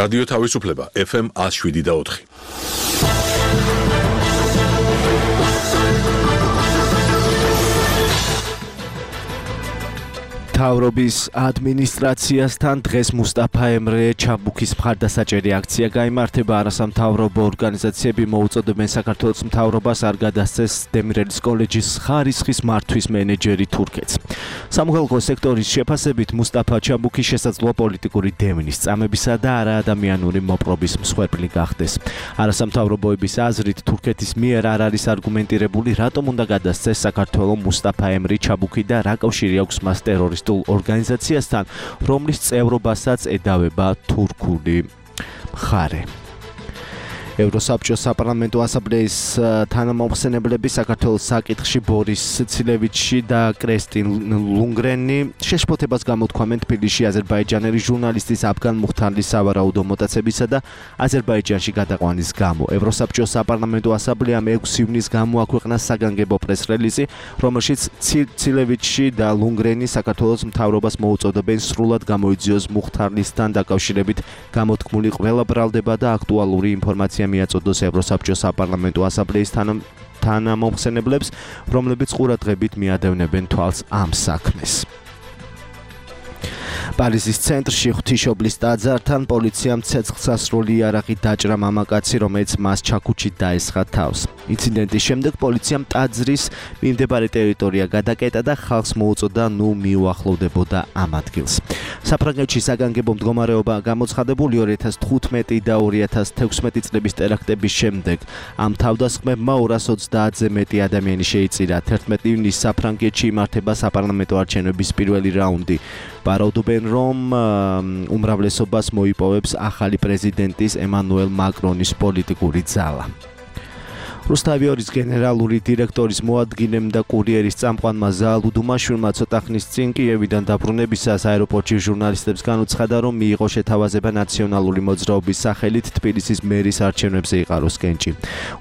რადიო თავისუფლება FM 107.4. მთავრობის ადმინისტრაციასთან დღეს მუსტაფა ემრე ჩაბუქის მხარდასაჭერი აქცია გაიმართება. არასამთავრობო ორგანიზაციები მოუწოდებენ საქართველოს მთავრობას არ გადასცეს დემირელის კოლეჯის ხარისხის მართვის მენეჯერი თურქეთს. სამოქალაქო სექტორის შეფასებით მუსტაფა ჩაბუქი შესაძლოა პოლიტიკური დევნის, წამებისა და არაადამიანური მოპყრობის მსხვერპლი გახდეს. არასამთავრობოების აზრით თურქეთის მიერ არ არის არგუმენტირებული, რატომ უნდა გადასცეს საქართველოს მუსტაფა ემრი ჩაბუქი და რა კავშირი აქვს მას ტერორისტულ ორგანიზაციასთან, რომლის წევრობასაც ედავება თურქული მხარე. ევროსაბჭოს საპარლამენტო ასამბლეის თანამომხსენებლები საქართველოს საკითხში ბორის ცილევიჩი და კრესტინ ლუნგრენი შეშფოთებას გამოთქვამენ თბილისში აზერბაიჯანელი ჟურნალისტის აფგან მუხთარლის სავარაუდო მოტაცებისა და აზერბაიჯანში გადაყვანის გამო. ევროსაბჭოს საპარლამენტო ასამბლეამ 6 ივნისს გამოაქვეყნა საგანგებო პრეს-რელიზი, რომელშიც ცილევიჩი და ლუნგრენი საქართველოს მთავრობას მოუწოდებენ სრულად გამოიძიოს მუხთარლისთან დაკავშირებით გამოთქმული ყველა ბრალდება და აქტუალური ინფორმაცია მიაწოდოს ევროსაბჭოს საპარლამენტო ასამბლეის თანამომხსენებლებს, რომლებიც ყურადღებით მიადევნებენ თვალს ამ საქმეს. პარიზის ცენტრში ღვთისმშობლის ტაძართან პოლიციამ ცეცხლსასროლი იარაღით დაჭრა მამაკაცი, რომელიც მას ჩაქუჩით დაესხა თავს. ინციდენტის შემდეგ პოლიციამ ტაძრის მიმდებარე ტერიტორია გადაკეტა და ხალხს მოუწოდა მიუახლოვდებოდა ამ ადგილს. საფრანგეთში საგანგებო მდგომარეობა გამოცხადებული 2015 და 2016 წლების ტერაქტების შემდეგ. ამ თავდასხმებმა 230-ზე მეტი ადამიანი შეიწირა. 11 ივნისს საფრანგეთში იმართება საპარლამენტო არჩევნების პირველი რაუნდი. ვარაუდობენ, რომ უმრავლესობას მოიპოვებს ახალი პრეზიდენტის ემანუელ მაკრონის პოლიტიკური ძალა. რუსთავიორის გენერალური დირექტორის მოადგილემ და კურიერის წამყვანმა ზაალ უდუმაშვილმა ცოტა ხნის წინ კიევიდან დაბრუნებისას აეროპორტში ჟურნალისტებს განუცხადა, რომ მიიღო შეთავაზება ნაციონალური მოძრაობის სახელით თბილისის მერის არჩევნებზე იყაროს კენჭი.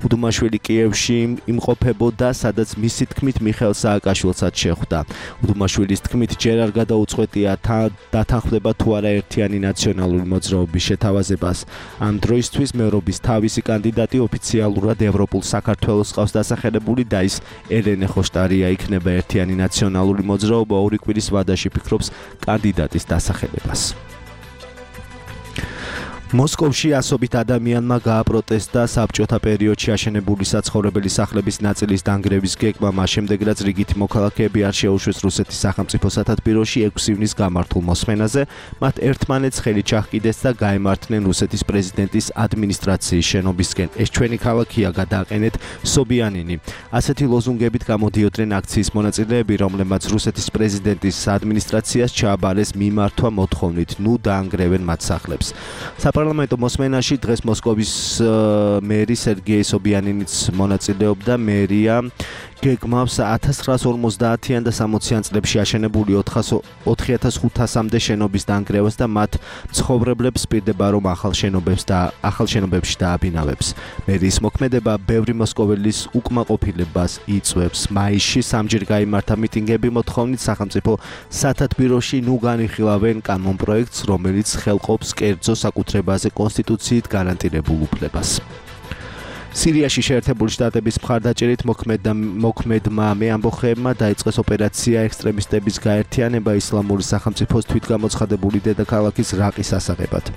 უდუმაშვილი კიევში იმყოფებოდა, სადაც მისი თქმით მიხეილ სააკაშვილსაც შეხვდა. უდუმაშვილის თქმით ჯერ არ გადაუწყვეტია დათანხმდება თუ არა ერთიანი ნაციონალური მოძრაობის შეთავაზებას. ამ დროისთვის მერობის თავისი კანდიდატი ოფიციალურად ევროპულ საქართველოს ყავს დასახელებული და ის ელენე ხოშტარია იქნება ერთიანი ნაციონალური მოძრაობა 2 კვირის ვადაში ფიქრობს კანდიდატის დასახელებას. მოსკოვში ასობით ადამიანმა გააპროტესტა საბჭოთა პერიოდში აშენებული საცხოვრებელი სახლების ნაწილის დანგრევის გეგმა, მას შემდეგ რაც რიგითი მოქალაქეები არ შეუშვეს რუსეთის სახელმწიფო სათათბიროში 6 ივნისს გამართულ მოსმენაზე, მათ ერთმანეთს ხელი ჩაჰკიდეს და გაემართნენ რუსეთის პრეზიდენტის ადმინისტრაციის შენობისკენ. ეს ჩვენი ქალაქია, გადააყენეთ სობიანინი. ასეთი ლოზუნგებით გამოდიოდნენ აქციის მონაწილეები, რომლებმაც რუსეთის პრეზიდენტის ადმინისტრაციას ჩააბარეს მიმართვა მოთხოვნით, ნუ დაანგრევენ მათ სახლებს. საპარლამენტო მოსმენაში დღეს მოსკოვის მერი სერგეი სობიანინიც მონაწილეობდა. მერია გეგმავს 1950-იან და 60-იან წლებში აშენებული 4500-მდე შენობის დანგრევას და მათ მცხოვრებლებს პირდება, რომ ახალ შენობებში დააბინავებს. მერის მოქმედება ბევრი მოსკოველის უკმაყოფილებას იწვევს. მაისში სამჯერ გაიმართა მიტინგები მოთხოვნით სახელმწიფო სათათბიროში ნუ განიხილავენ კანონპროექტს, რომელიც ხელყოფს კერძო საკუთრებაზე კონსტიტუციით გარანტირებულ უფლებას. სირიაში შეერთებული შტატების მხარდაჭერით მოქმედმა მეამბოხეებმა დაიწყეს ოპერაცია ექსტრემისტების გაერთიანება ისლამური სახელმწიფოს თვითგამოცხადებული დედაქალაქის რაყის ასაღებად.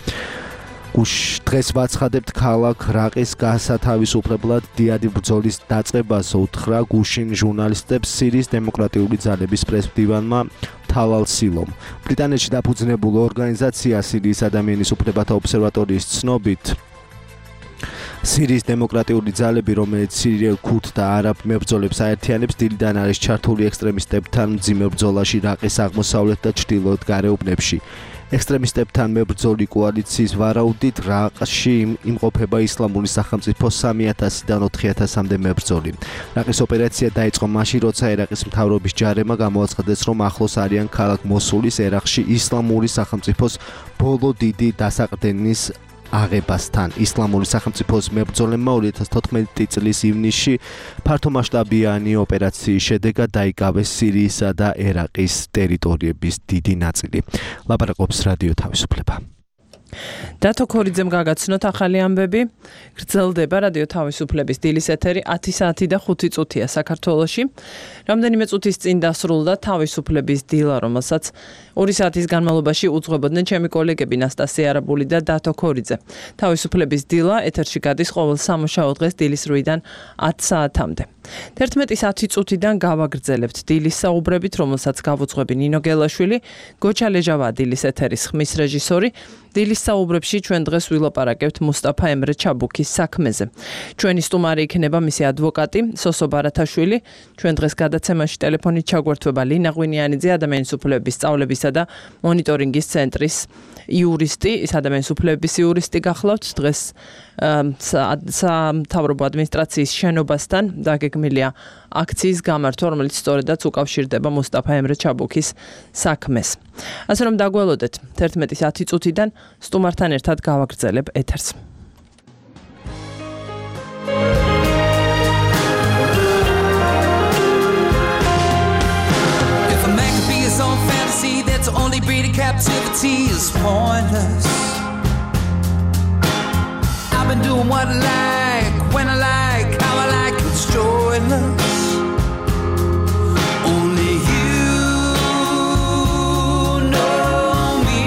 დღეს ვაცხადებთ ქალაქ რაყის გასათავისუფლებლად დიადი ბრძოლის დაწყებას უთხრა გუშინ ჟურნალისტებს სირიის დემოკრატიული ძალების პრესმდივანმა თალალ სილომ. ბრიტანეთში დაფუძნებულ ორგანიზაცია სირიის ადამიანის უფლებათა ობსერვატორიის ცნობით სირიის დემოკრატიული ძალები, რომელიც სირიელ ქურდ და არაბ მებრძოლებს აერთიანებს, დილიდან არის ჩართული ექსტრემისტებთან მძიმე ბრძოლაში რაყის აღმოსავლეთ და ჩრდილოეთ გარეუბნებში. ექსტრემისტებთან მებრძოლი კოალიციის ვარაუდით რაყში იმყოფება ისლამური სახელმწიფო 3000-დან 4000-მდე მებრძოლი. რაყის ოპერაცია დაიწყო მაშინ, როცა ერაყის მთავრობის ჯარებმა გამოაცხადეს, რომ ახლოს არიან ქალაქ მოსულის ერაყში ისლამური სახელმწიფოს ბოლო დიდი დასაყრდენის აღებასთან. ისლამური სახელმწიფოს მებრძოლებმა 2014 წლის ივნისში ფართომასშტაბიანი ოპერაციის შედეგად დაიკავეს სირიისა და ერაყის ტერიტორიების დიდი ნაწილი. ლაპარაკობს რადიო თავისუფლება. დათო ქორიძემ გაგაცნოთ ახალი ამბები. გრძელდება რადიო თავისუფლების დილის ეთერი 10 საათი და 5 წუთია საქართველოში. რამდენიმე წუთის წინ დასრულდა თავისუფლების დილა, რომელსაც 2 საათის განმავლობაში უძღვებოდნენ ჩემი კოლეგები ნასტასია არაბული და დათო ქორიძე. თავისუფლების დილა ეთერში გადის ყოველ სამუშაო დღეს დილის 8-დან 10 საათამდე. 11:10 წუთიდან გავაგრძელებთ დილის საუბრებით, რომელსაც გავუძღვები ნინო გელაშვილი, გოჩა ლეჟავა დილის ეთერის ხმის რეჟისორი. დილის საუბრებში ჩვენ დღეს ვილაპარაკებთ მუსტაფა ემრე ჩაბუქის საქმეზე. ჩვენი სტუმარი იქნება მისი ადვოკატი სოსო ბარათაშვილი. ჩვენ დღეს გადაცემაში ტელეფონით ჩაგვერთვებალინა ღვინიანიძე, ადამიანის უფლებების სწავლებისა და მონიტორინგის ცენტრის იურისტი, ის ადამიანის უფლებების იურისტი გახლავთ. დღეს სამთავრობო ადმინისტრაციის შენობასთან დაგეგმილია აქციის გამართვა, რომელიც სწორედაც უკავშირდება მუსტაფა ემრე ჩაბუქის საქმეს. ასე რომ დაგველოდეთ 11:10 წუთიდან სტუმართან ერთად გავაგრძელებ ეთერს. If a man could be his own fantasy, that's only breeding captivity is pointless. I've been doing what I like, when I like, how I like, it's joyless. Only you know me.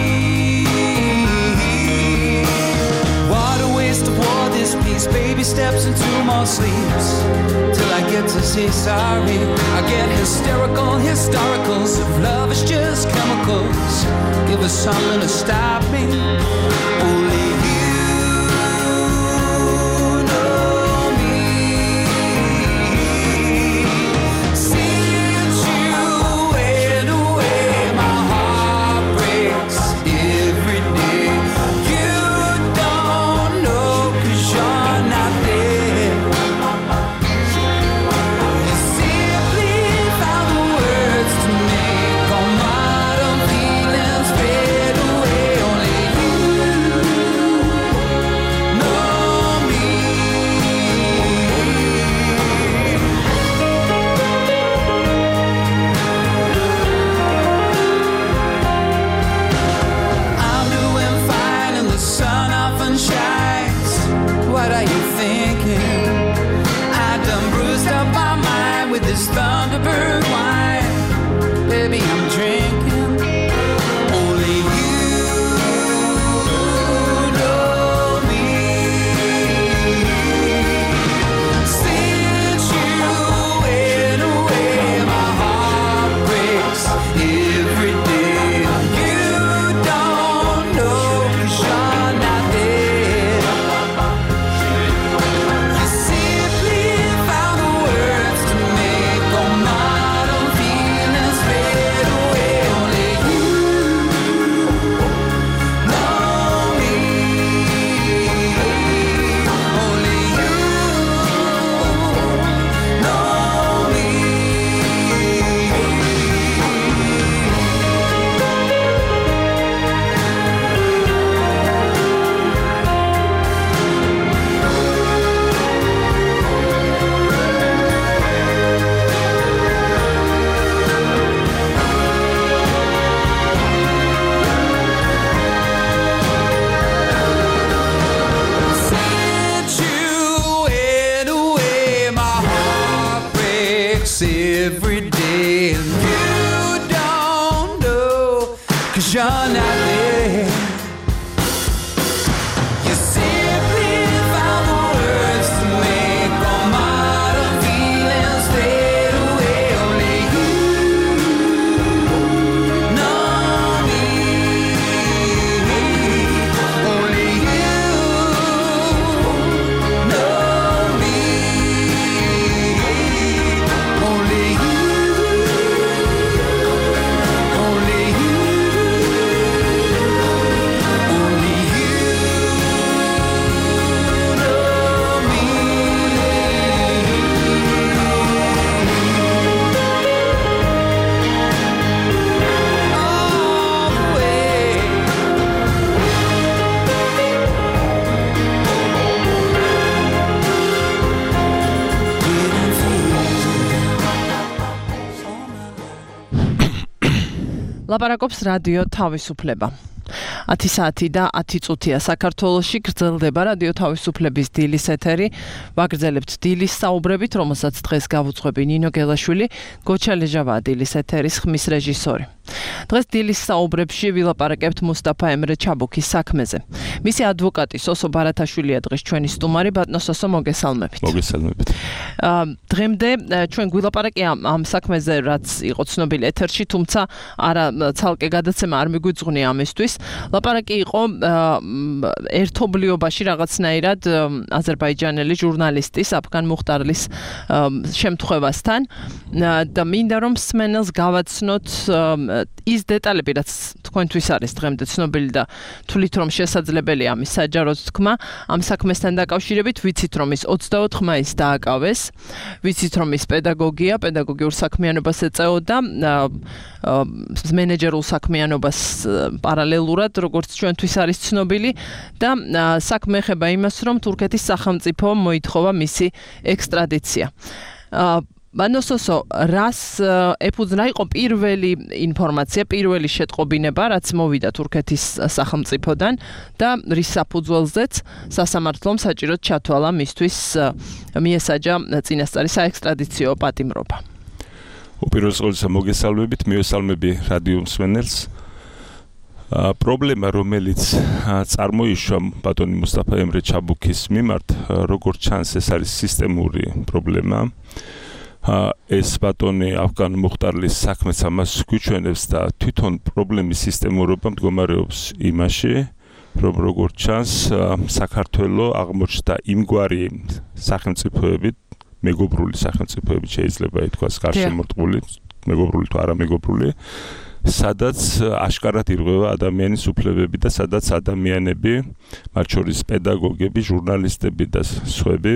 What a waste of war this piece. Baby steps into more sleeps till I get to say sorry. I get hysterical, historicals. If love is just chemicals, give us something to stop me. Only Thunderbird wine, baby, I'm drinking. Only you know me. Since you went away, my heart breaks every day. You don't know 'cause you're not there. You simply found the words to make all modern feelings fade away. Only you know me. Only you know me. Since you went away, my heart breaks every day. And you don't know 'cause you're not there. You simply found the words to make all modern feelings fade away. Only you know me. Only you know me. Only you. Only you. Only you know me. All the way. Didn't feel ლაპარაკობს რადიო თავისუფლება. 10 საათი და 10 წუთია საქართველოში გრძელდება რადიო თავისუფლების დილის ეთერი. ვაგრძელებთ დილის საუბრებით, რომელსაც დღეს გავუძღვები ნინო გელაშვილი, გოჩა ლეჟავაა დილის ეთერის ხმის რეჟისორი. დღეს დილის საუბრებში ვილაპარაკებთ მუსტაფა ემრე ჩაბუქის საქმეზე. მისი ადვოკატი სოსო ბარათაშვილია დღეს ჩვენი სტუმარი. ბატონო სოსო, მოგესალმებით. მოგესალმებით. დღემდე ჩვენ გვილაპარაკი ამ საქმეზე, რაც იყო ცნობილი ეთერში, თუმცა არა ცალკე გადაცემა არ მიგვიძღვნია ამისთვის. ლაპარაკი იყო ერთობლიობაში რაღაცნაირად აზერბაიჯანელი ჟურნალისტის აფგან მუხტარლის შემთხვევასთან და მინდა რომ მსმენელს გავაცნოთ ის დეტალები, რაც თქვენთვის არის დღემდე ცნობილი და თვლით რომ შესაძლებელია ამის საჯაროდ თქმა ამ საქმესთან დაკავშირებით. ვიცით რომ ის 24 მაისს დააკავეს, ვიცით რომ ის პედაგოგიურ საქმიანობას ეწეოდა, მენეჯერულ საქმიანობას პარალელურად, როგორც ჩვენთვის არის ცნობილი და საქმე ეხება იმას, რომ თურქეთის სახელმწიფო მოითხოვა მისი ექსტრადიცია. ბანოსოსო, რას ეფუძნა იყო პირველი ინფორმაცია, პირველი შეტყობინება, რაც მოვიდა თურქეთის სახელმწიფოდან და რის საფუძველზეც სასამართლომ საჭიროდ ჩათვალა მისთვის მიესაჯა წინასწარი საექსტრადიციო პატიმრობა. უპირველეს ყოვლისა მოგესალმებით, მივესალმები რადიო მსმენელს. პრობლემა, რომელიც წარმოიშვა ბატონი მუსტაფა ემრე ჩაბუქის მიმართ, როგორც ჩანს, ეს არის სისტემური პრობლემა. ეს ბატონი აფგან მუხტარლის საქმეც ამას გვიჩვენებს და თვითონ პრობლემის სისტემურობა მდგომარეობს იმაში, რომ როგორც ჩანს, საქართველოს აღმოჩნდა იმგვარი სახელმწიფოებით, მეგობრული სახელმწიფოებით შეიძლება ითქვას, გარშემორტყმული, მეგობრული თუ არა მეგობრული, სადაც აშკარად ირღვევა ადამიანის უფლებები და სადაც ადამიანები, მათ შორის პედაგოგები, ჟურნალისტები და სხვები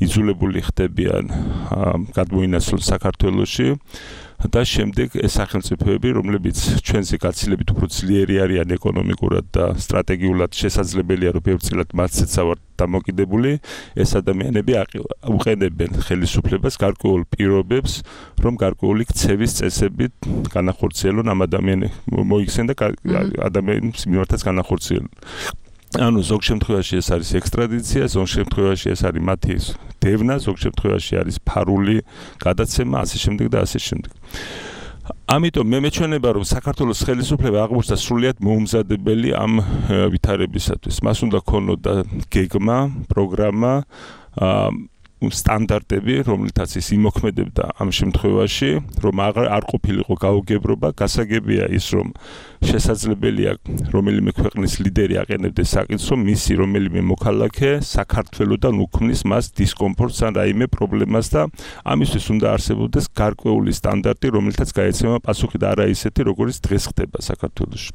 იძულებული ხდებიან გადმოინაცვლონ საქართველოში და შემდეგ ეს სახელმწიფოები, რომლებიც ჩვენზე გაცილებით უფრო ძლიერი არიან ეკონომიკურად და სტრატეგიულად შესაძლებელია, რომ ბევრწილად მათზეც ავართ დამოკიდებული, ეს ადამიანები უყენებენ ხელისუფლებას გარკვეულ პირობებს, რომ გარკვეული ქცევის წესებით განახორციელონ ამ ადამიანებს, მოიქცენ და ადამიანის მიმართაც განახორციელონ. ანუ ზოგ შემთხვევაში ეს არის ექსტრადიცია, ზოგ შემთხვევაში ეს არის მათი დევნა, ზოგ შემთხვევაში არის ფარული გადაცემა, ასე შემდეგ და ასე შემდეგ. ამიტომ მე მეჩვენება, რომ საქართველოს ხელისუფლება აღმოჩნდა სრულიად მოუმზადებელი ამ ვითარებისათვის. მას უნდა ქონოდა გეგმა, პროგრამა, სტანდარტები, რომლითაც ის იმოქმედებდა ამ შემთხვევაში, რომ არ ყოფილიყო გაუგებრობა, გასაგებია ის, რომ შესაძლებელია რომელიმე ქვეყნის ლიდერი აყენებდეს საკითხს, რომ მისი რომელიმე მოქალაქე საქართველოდან უქმნის მას დისკომფორტს ან რაიმე პრობლემას და ამისთვის უნდა არსებობდეს გარკვეული სტანდარტი, რომელთაც გაეცემა პასუხი და არა ისეთი, როგორც დღეს ხდება საქართველოში.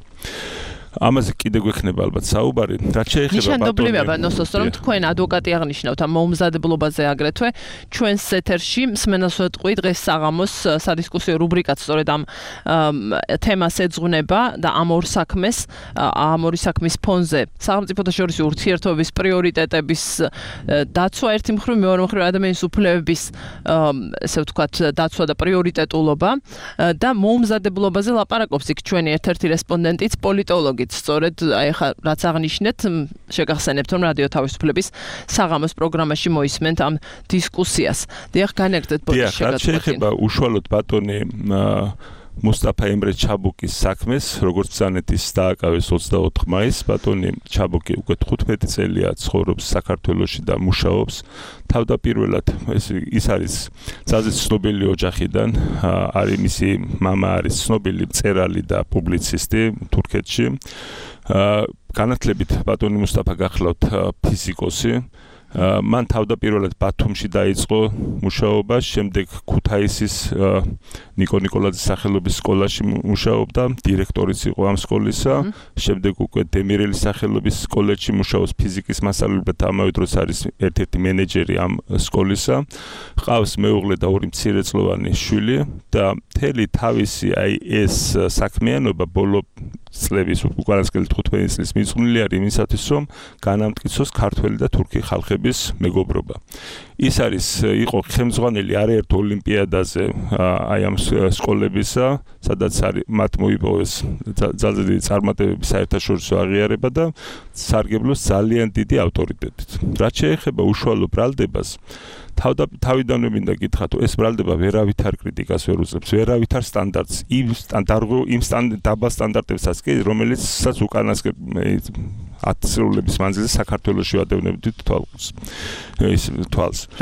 ამაზე კიდე გვექნება ალბათ საუბარი, რაც შეეხება ნიშანდობლივია ბანოსოს, რომ თქვენ ადვოკატი აღნიშნავთ ამ მოუმზადებლობაზე აგრეთვე ჩვენს ეთერში მსმენელს ვეტყვი დღეს საღამოს სადისკუსიო რუბრიკაც სწორედ ამ თემას ეძღვნება და ამ ორ საქმის ფონზე სახელმწიფოთა შორის ურთიერთობის პრიორიტეტების დაცვა ერთი მხრივ, მეორე მხრივ ადამიანის უფლებების ესე ვთქვათ დაცვა და პრიორიტეტულობა და მოუმზადებლობაზე ლაპარაკობს იქ ჩვენი ერთ-ერთი რესპონდენტიც პოლიტოლოგი. სწორედ აი ხა რაც აღნიშნეთ, შეგახსენებთ რომ რადიო თავისუფლების საღამოს პროგრამაში მოისმენთ ამ დისკუსიას. დიახ, განაგრძეთ ბოდიშ შეგაწყვეტინე. შეეხება უშუალოდ ბატონი მუსტაფა ემრე ჩაბუქის საქმეს, როგორც ბრძანეთის დააკავეს 24 მაისს, ბატონი ჩაბუქი უკვე 15 წელია ცხოვრობს საქართველოში და მუშაობს. თავდაპირველად ის არის ძალზედ ცნობილი ოჯახიდან, არის მისი მამა არის ცნობილი მწერალი და პუბლიცისტი თურქეთში. განათლებით ბატონი მუსტაფა გახლავთ ფიზიკოსი. მან თავდაპირველად ბათუმში დაიწყო მუშაობა, შემდეგ ქუთაისის ნიკო ნიკოლაძის სახელობის სკოლაში მუშაობდა, დირექტორიც იყო ამ სკოლისა, შემდეგ უკვე დემირელის სახელობის კოლეჯში მუშაობს ფიზიკის მასწავლებლად და ამავე დროს არის ერთ-ერთი მენეჯერი ამ სკოლისა. ჰყავს მეუღლე და ორი მცირეწლოვანი შვილი და მთელი თავისი აი ეს საქმიანობა ბოლო წლების უკანასკნელი 15 წლის მიძღვნილი არის იმისათვის, რომ განამტკიცოს ქართველი და თურქი ხალხების ქვეყნების მეგობრობა. ის იყო ხელმძღვანელი არაერთ ოლიმპიადაზე აი ამ სკოლებისა, სადაც მათ მოიპოვეს ძალზე დიდი წარმატებები საერთაშორისო აღიარება და სარგებლოს ძალიან დიდი ავტორიტეტით. რაც შეეხება უშუალო ბრალდებას, თავიდანვე მინდა გითხრათ, ეს ბრალდება ვერავითარ კრიტიკას ვერ უძლებს, ვერავითარ სტანდარტს, იმ დაბალ სტანდარტებსაც კი, რომელიცაც უკანასკნელ 10 წლების მანძილზე საქართველოში ვადევნებდით თვალს.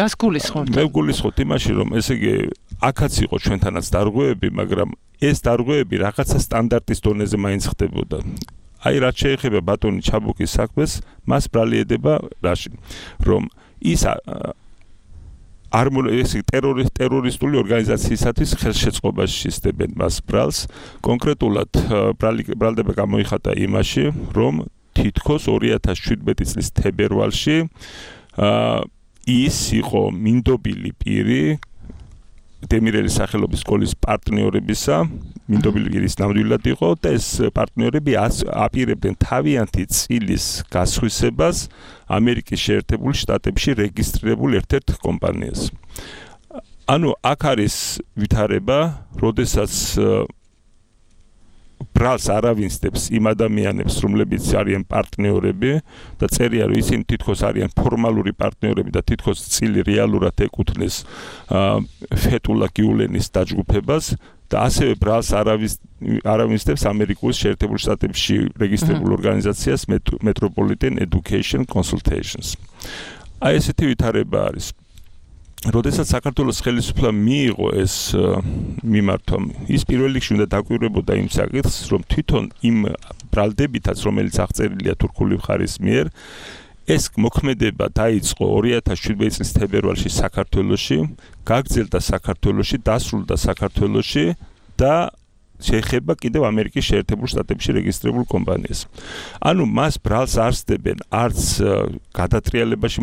რას გულისხმობთ? მე გულისხმობთ იმაში, რომ ესე იგი აქაც იყო ჩვენთანაც დარღვევები, მაგრამ ეს დარღვევები რაღაცა სტანდარტის დონეზე მაინც ხდებოდა. აი რაც შეეხება ბატონი ჩაბუკის საქმეს, მას ბრალი ედება რაში, რომ ის ტერორისტული ორგანიზაციისათვის ხელშეწყობაში ისდებენ მას ბრალს. კონკრეტულად ბრალდება გამოიხატა იმაში, რომ თითქოს 2017 წლის თებერვალში ის იყო მინდობილი პირი დემირელის სახელობის სკოლის პარტნიორებისა, მინდობილი პირის ნამდვილად იყო და ეს პარტნიორები აპირებდნენ თავიანთი წილის გასხვისებას ამერიკის შეერთებულ შტატებში რეგისტრირებულ ერთ-ერთ კომპანიას. ანუ აქ არის ვითარება, როდესაც ბრალს არავინსდებს იმ ადამიანებს, რომლებიც არიან პარტნიორები და წერია, რომ ისინი თითქოს არიან ფორმალური პარტნიორები და თითქოს წილი რეალურად ეკუთვნის ფეტულა გიულენის დაჯგუფებას და ასევე ბრალს არავინსდებს ამერიკის შეერთებულ შტატებში რეგისტრირებულ ორგანიზაციას Metropolitan Education Consultations. აი ესეთი ვითარება არის. როდესაც საქართველოს ხელისუფლება მიიღო ეს მიმართვა, ის პირველ რიგში უნდა დაკვირვებოდა იმ საკითხს, რომ თვითონ იმ ბრალდებითაც, რომელიც აღწერილია თურქული მხარის მიერ, ეს მოქმედება დაიწყო 2017 წლის თებერვალში საქართველოში, გაგრძელდა საქართველოში, დასრულდა საქართველოში და შეეხება კიდევ ამერიკის შეერთებულ შტატებში რეგისტრირებულ კომპანიას. ანუ მას ბრალს არ სდებენ არც გადატრიალებაში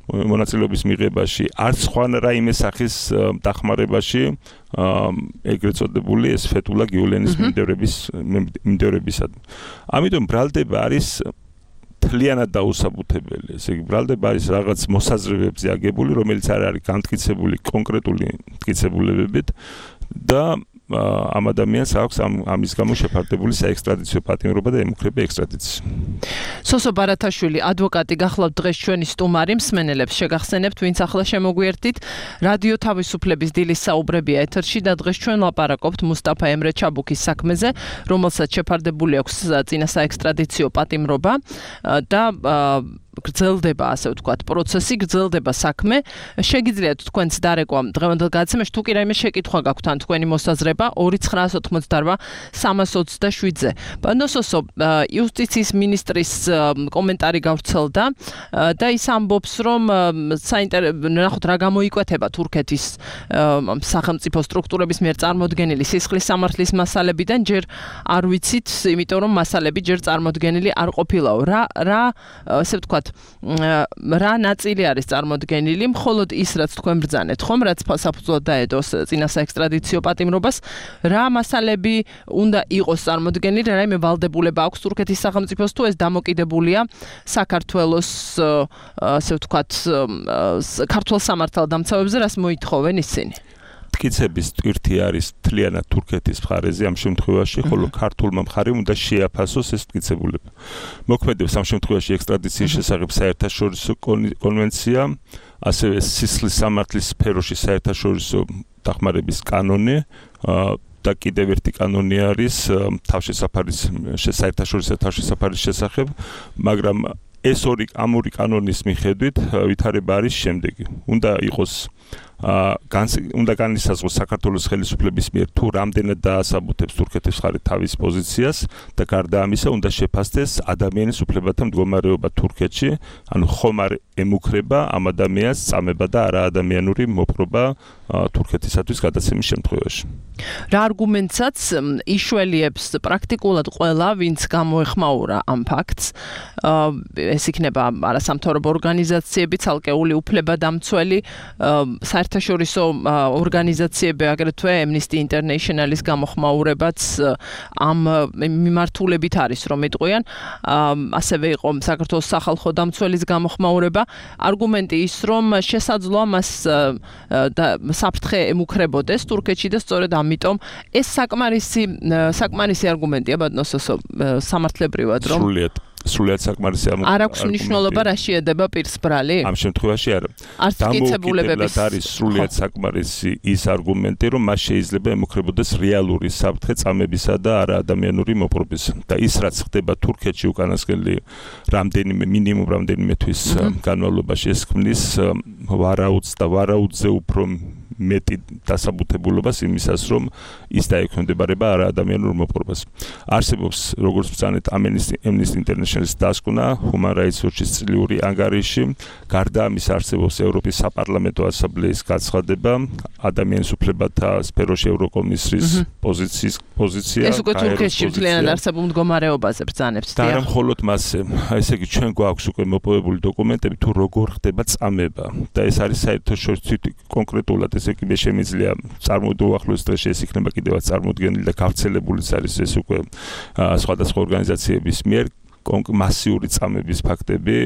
მონაწილეობის მიღებაში, არც სხვა რაიმე სახის დახმარებაში, ეგრეთ წოდებული ეს ფეტულა გიულენის მიმდევრებისადმი. ამიტომ ბრალდება არის თლიანად დაუსაბუთებელი. ესე იგი ბრალდება არის რაღაც მოსაზრებებზე აგებული, რომელიც არ არის განმტკიცებული კონკრეტული მტკიცებულებებით და ამ ადამიანს აქვს ამის გამო შეფარდებული საექსტრადიციო პატიმრობა და ემუქრება ექსტრადიცია. სოსო ბარათაშვილი, ადვოკატი, გახლავთ დღეს ჩვენი სტუმარი, მსმენელებს შეგახსენებთ, ვინც ახლა შემოგვიერთდით, რადიო თავისუფლების დილის საუბრებია ეთერში და დღეს ჩვენ ლაპარაკობთ მუსტაფა ემრე ჩაბუკის საქმეზე, რომელსაც შეფარდებული აქვს წინა საექსტრადიციო პატიმრობა და გრძელდება, ასე ვთქვათ, პროცესი, გრძელდება საქმე. შეგიძლიათ თქვენც დარეკვა დღევანდელ გადაცემაში, თუ კი რაიმე შეკითხვა გაქვთ ან თქვენი მოსაზრება 2988-327-ზე. ბანოსოსო, იუსტიციის მინისტრის კომენტარი გავრცელდა და ის ამბობს, რომ ნახოთ რა გამოიკვეთება თურქეთის სახელმწიფო სტრუქტურების მიერ წარმოდგენილი სისხლის სამართლის მასალებიდან, ჯერ არ ვიცით, იმიტომ რომ მასალები ჯერ წარმოდგენილი არ ყოფილაო. რა ასე ვთქვათ, რა ნაწილი არის წარმოდგენილი, მხოლოდ ის, რაც თქვენ ბრძანეთ, ხომ, რაც საფუძვლად დაედოს წინა საექსტრადიციო პატიმრობას, რა მასალები უნდა იყოს წარმოდგენილი, რაიმე ვალდებულება აქვს თურქეთის სახელმწიფოს, თუ ეს დამოკიდებულია საქართველოს, ასე ვთქვათ, ქართულ სამართალდამცავებზე, რას მოითხოვენ ისინი? მტკიცების ტვირთი არის თლიანად თურქეთის მხარეზე ამ შემთხვევაში, ხოლო ქართულმა მხარემ უნდა შეაფასოს ეს მტკიცებულება. მოქმედებს ამ შემთხვევაში ექსტრადიციის შესახებ საერთაშორისო კონვენცია, ასევე სისხლის სამართლის სფეროში საერთაშორისო დახმარების კანონი და კიდევ ერთი კანონი არის საერთაშორისო თავშესაფარის შესახებ, მაგრამ ეს ამ ორი კანონის მიხედვით ვითარება არის შემდეგი. უნდა განისაზღვროს საქართველოს ხელისუფლების მიერ თუ რამდენად დაასაბუთებს თურქეთის მხარე თავის პოზიციას და გარდა ამისა უნდა შეფასდეს ადამიანის უფლებათა მდგომარეობა თურქეთში, ანუ ხომ არ ემუქრება ამ ადამიანს წამება და არაადამიანური მოპყრობა თურქეთისათვის გადაცემის შემთხვევაში. რა არგუმენტსაც იშველიებს პრაქტიკულად ყველა, ვინც გამოეხმაურა ამ ფაქტს. ეს იქნება არასამთავრობო ორგანიზაციები, ცალკეული უფლებადამცველი, საერთაშორისო ორგანიზაციები, აგრეთვე Amnesty International-ის გამოხმაურებაც ამ მიმართულებით არის, რომ იტყვიან. ასევე იყო საქართველოს სახალხო დამცველის გამოხმაურება. არგუმენტი ის, რომ შესაძლოა მას საფრთხე ემუქრებოდეს თურქეთში და სწორედ ამიტომ ეს საკმარისი არგუმენტია ბატონოსო სამართლებრივად რომ სრულიად საკმარისი არ აქვს მნიშვნელობა რა შეედება პირს ბრალი? ამ შემთხვევაში არა. დამოუკიდებლად არის სრულიად საკმარისი ის არგუმენტი, რომ მას შეიძლება ემუქრებოდეს რეალური საფრთხე წამებისა და არაადამიანური მოპყრობის. და ის რაც ხდება თურქეთში უკანასკნელი მინიმუმ რამდენიმე თვის განმავლობაში ეს ქმნის ვარაუდს და ვარაუდზე უფრო მეტი დასაბუთებულობას იმისას, რომ ის დაექვემდებარება არაადამიანურ მოპყრობას. არსებობს, როგორც ვწანეთ, Amnesty International-ის დასკვნა, Human Rights Watch-ის წლიური ანგარიში, გარდა ამის არსებობს ევროპის საპარლამენტო ასამბლეის გაცხადება, ადამიანის უფლებათა სფეროში ევროკომისრის პოზიცია. ეს უკვე თურქეთში მთლიანად არსებულ მდგომარეობაზე ბრძანებს. და არა მხოლოდ მასზე, ესე იგი ჩვენ გვაქვს უკვე მოპოვებული დოკუმენტები თუ როგორ ხდება წამება და ეს არის საერთაშორისო კონკრეტულად ესე იგი შემიძლია უახლოეს დღეში ეს იქნება კიდევაც წარმოდგენილი და გავრცელებულიც არის ეს უკვე სხვადასხვა ორგანიზაციების მიერ მასიური წამების ფაქტები,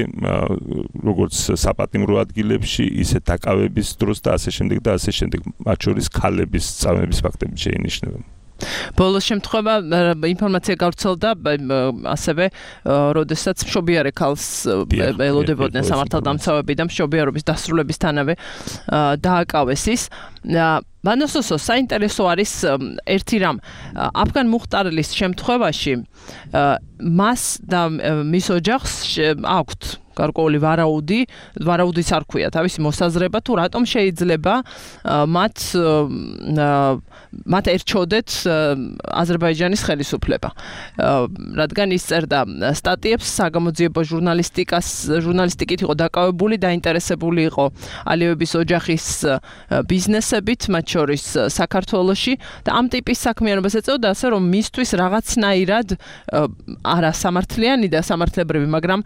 როგორც საპატიმრო ადგილებში, ისე დაკავების დროს და ასე შემდეგ და ასე შემდეგ, მათ შორის ქალების წამების ფაქტები შეინიშნება. ბოლოს შემთხვევა ინფორმაცია გავრცელდა ასევე როდესაც მშობიარე ქალს ელოდებოდნენ სამართალდამცავები და მშობიარობის დასრულებისთანავე დააკავეს ის. ბანოსოსო საინტერესო არის ერთი რამ აფგან მუხტარლის შემთხვევაში მას და მის ოჯახს აქვთ გარკვეული ვარაუდიც არ ქვია თავისი მოსაზრება თუ რატომ შეიძლება მათ ერჩოდეთ აზერბაიჯანის ხელისუფლება. რადგან ის წერდა სტატიებს საგამოძიებო ჟურნალისტიკით იყო დაკავებული, დაინტერესებული იყო ალიევების ოჯახის ბიზნესებით, მათ შორის საქართველოში და ამ ტიპის საქმიანობას ეწეოდა ასე რომ მისთვის რაღაცნაირად არა სამართლიანი და სამართლებრივი, მაგრამ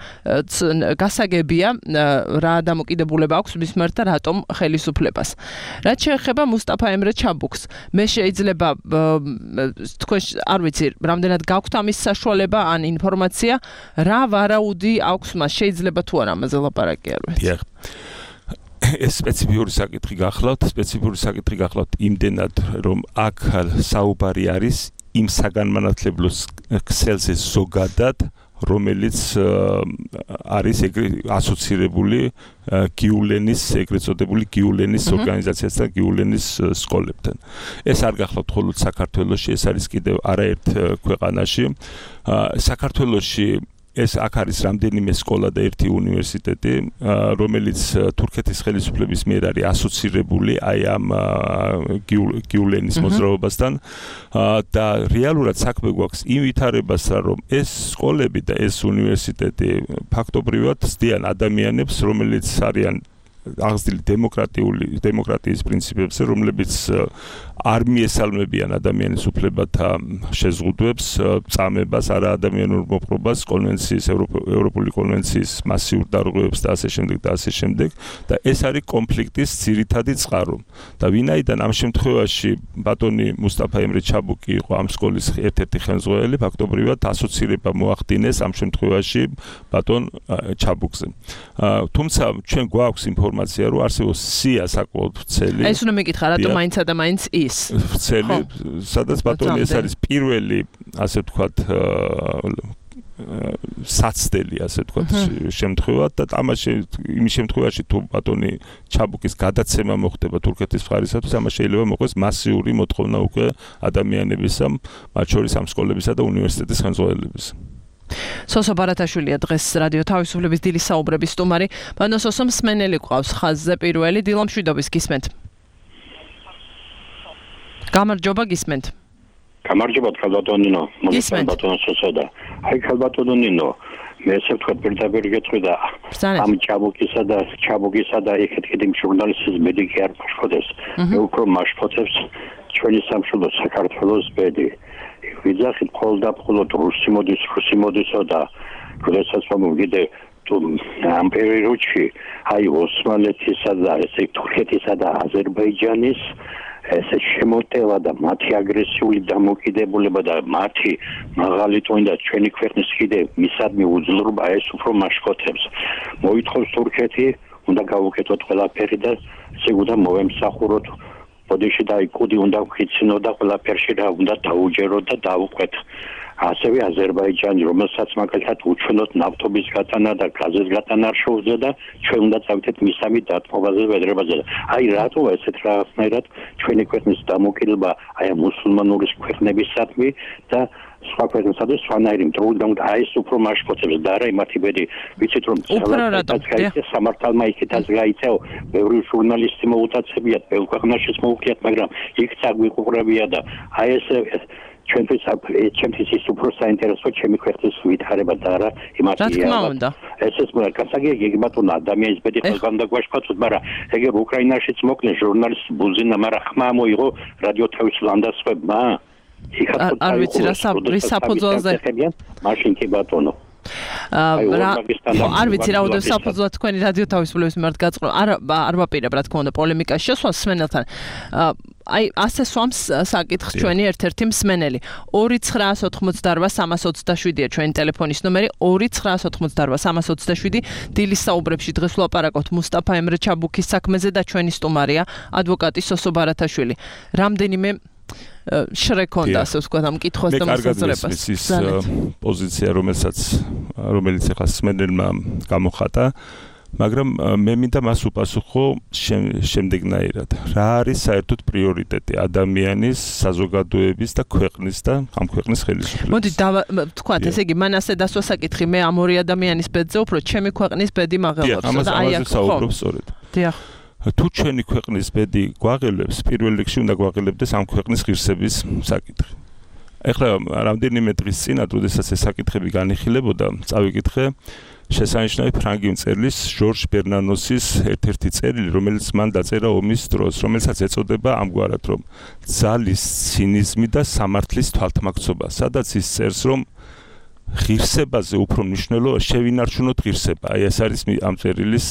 გასაგებია რა დამოკიდებულება აქვს მის მიმართ და რატომ ხელისუფლებას. რაც შეეხება მუსტაფა ემრე ჩაბუქს, მე შეიძლება თქვენ არ ვიცი, რამდენად გაქვთ ამის საშუალება ან ინფორმაცია, რა ვარაუდი აქვს მას, შეიძლება თუ არა ამაზე ლაპარაკი არ ვიცი. ეს სპეციფიური საკითხი გახლავთ იმდენად, რომ აქ საუბარი არის იმ საგანმანათლებლო ქსელზე ზოგადად, რომელიც არის ასოცირებული გიულენის, ეგრეთ წოდებული გიულენის ორგანიზაციასთან, გიულენის სკოლებთან. ეს არ გახლავთ მხოლოდ საქართველოში, ეს არის კიდევ არაერთ ქვეყანაში. საქართველოში ეს აქ არის რამდენიმე სკოლა და ერთი უნივერსიტეტი, რომელიც თურქეთის ხელისუფლების მიერ არის ასოცირებული აი ამ გიულენის მოძრაობასთან და რეალურად საქმე გვაქვს იმ ვითარებასთან, რომ ეს სკოლები და ეს უნივერსიტეტი ფაქტობრივად ცდიან ადამიანებს, რომელიც არიან აღზრდილი დემოკრატიის პრინციპებზე, რომლებიც არ მიესალმებიან ადამიანის უფლებათა შეზღუდვებს, წამებას, არაადამიანურ მოპყრობას, ევროპული კონვენციის მასიურ დარღვევებს და ასე შემდეგ და ასე შემდეგ და ეს არის კონფლიქტის ძირითადი წყარო. და ვინაიდან ამ შემთხვევაში ბატონი მუსტაფა ემრე ჩაბუკი იყო ამ სკოლის ერთ-ერთი ხელმძღვანელი, ფაქტობრივად ასოცირება მოახდინეს ამ შემთხვევაში ბატონ ჩაბუკზე. თუმცა ჩვენ გვაქვს ინფორმაცია, რომ არსებობს სია საკმაოდ ვრცელი. ეს უნდა მეკითხა, რატომ მაინც და მაინც ვრცელი, სადაც ბატონი ეს არის პირველი, ასე ვთქვათ, საცდელი, ასე ვთქვათ, შემთხვევა და იმის შემთხვევაში თუ ბატონი ჩაბუკის გადაცემა მოხდება თურქეთის მხარისათვის, ამას შეიძლება მოყვეს მასიური მოთხოვნა უკვე ადამიანებისა, მათ შორის ამ სკოლებისა და უნივერსიტეტის ხელმძღვანელებისა. სოსო ბარათაშვილია დღეს რადიო თავისუფლების დილის საუბრების სტუმარი. ბანოსოსო მსმენელი ყავს ხაზზე პირველი, დილამშვიდობის გისმენთ. გამარჯობა, გისმენთ. გამარჯობა, ხალბატონინო. ბატონოსო და აი ხალბატონინო, მე ესე ვთქვათ პირდაპირ გეტყვი და ამ ჩაბუკისა და იქეთ კიდე ჟურნალისტის მედიკი არ მაშფოთებს. მე უფრო მაშფოთებს ჩვენი სამშობლო საქართველოს ბედი. ვიძახით მხოლოდ და მხოლოდ რუსი მოდისო და როდესაც მომგიდე ამ პერიოდში აი ოსმალეთისა და ესე თურქეთისა და აზერბაიჯანის ესე შემოტევა და მათი აგრესიული დამოკიდებულება და მათი მაღალი ტონი და ჩვენი ქვეყნის კიდე მისადმი უძლურობა ეს უფრო მაშკოთებს. მოითხოვს თურქეთი უნდა გავუკეთოთ ყველაფერი და ესე უნდა მოვემსახუროთ ბოდიში და იკუდი უნდა ვქიცინო და ყველაფერში რა უნდა დაუჯეროთ და დავუყვეთ. ასევე აზერბაიჯანი, რომელსაც მაგალითად უჩვენოთ ნავთობის გატანა და გაზის გატანა არ შეუძლია და ჩვენ უნდა წავიდეთ მისამი დათმობაზე ვედრებაზე. აი რატო ესეთ რაღაცნაირად ჩვენი ქვეყნის დამოკიდება აი მუსულმანური ქვეყნებისადმი და სხვა ქვეყნებსადმი სხვანაირი მტრულად აი ეს უფრო მაშკოცებს და არა იმათი ბედი ვიცით რომ სამართალმა იქითაც გაიწეო ბევრი ჟურნალისტი მოუტაცებიათ ბევრ ქვეყანაშიც მოუხდიათ მაგრამ იქ წაგვიყურებია და აი ეს ჩემთვის ის უფრო საინტერესო ჩემი ქვეყნის ვითარება და არა იმათი ეს მოა გასაგებია ბატონო ადამიანის ბედი ყველგან დაგვაშფოთოთ მაგრამ ეგერ უკრაინაშიც მოკლეს ჟურნალისტ ბუზინა მაგრამ ხმა მოიღო რადიო თავის ლანდასვებმა არ ვიცი რა საფუძველზე მაშინ კი ბატონო არ ვიცი რა უდევს საფუძვლად თქვენი რადიო თავისუფლების მიმართ გაწყრო არ ვაპირებ რა თქმა უნდა პოლემიკას შესვას მსმენელთან აი ასე სვამს საკითხს ჩვენი ერთ-ერთი მსმენელი 2988327-ია ჩვენი ტელეფონის ნომერი 2988327 დილის საუბრებში დღეს ვლაპარაკობთ მუსტაფა ემრე ჩაბუქის საქმეზე და ჩვენი სტუმარია ადვოკატი სოსო ბარათაშვილი რამდენიმე შრეკონდა ასე ვთქვათ ამ კითხვას და მოსაზრებას ის პოზიცია რომელიც ახლა სმენელმა გამოხატა მაგრამ მე მინდა მას უპასუხო შემდეგნაირად რა არის საერთოდ პრიორიტეტი ადამიანის საზოგადოების და ქვეყნის და ამ ქვეყნის ხელისუფლების მოდი ვთქვათ ესე იგი მან ასე დასვა საკითხი მე ამ ორი ადამიანის ბედზე უფრო ჩემი ქვეყნის ბედი მაღელობს და აი აქ საუბრობ სწორედ დიახ თუ ჩვენი ქვეყნის ბედი გვაღელებს, პირველ რიგში უნდა გვაღელებდეს ამ ქვეყნის ღირსების საკითხი. ეხლა რამდენიმე დღის წინ, როდესაც ეს საკითხები განიხილებოდა, წავიკითხე შესანიშნავი ფრანგი მწერლის ჟორჟ ბერნანოსის ერთ-ერთი წერილი, რომელიც მან დაწერა ომის დროს, რომელსაც ეწოდება ამგვარად, რომ ძალის ცინიზმი და სამართლის თვალთმაქცობა, სადაც ის წერს, რომ ღირსებაზე უფრო მნიშვნელოვანია შევინარჩუნოთ ღირსება. აი ეს არის ამ წერილის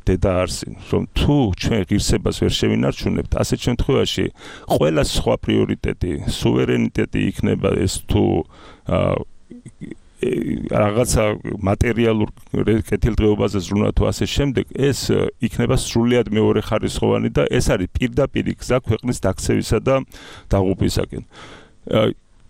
დედა არსი, რომ თუ ჩვენ ღირსებას ვერ შევინარჩუნებთ, ასეთ შემთხვევაში ყველა სხვა პრიორიტეტი, სუვერენიტეტი იქნება ეს თუ რაღაცა მატერიალურ კეთილდღეობაზე ზრუნვა თუ ასე შემდეგ, ეს იქნება სრულიად მეორეხარისხოვანი და ეს არის პირდაპირი გზა ქვეყნის დაქცევისა და დაღუპვისაკენ.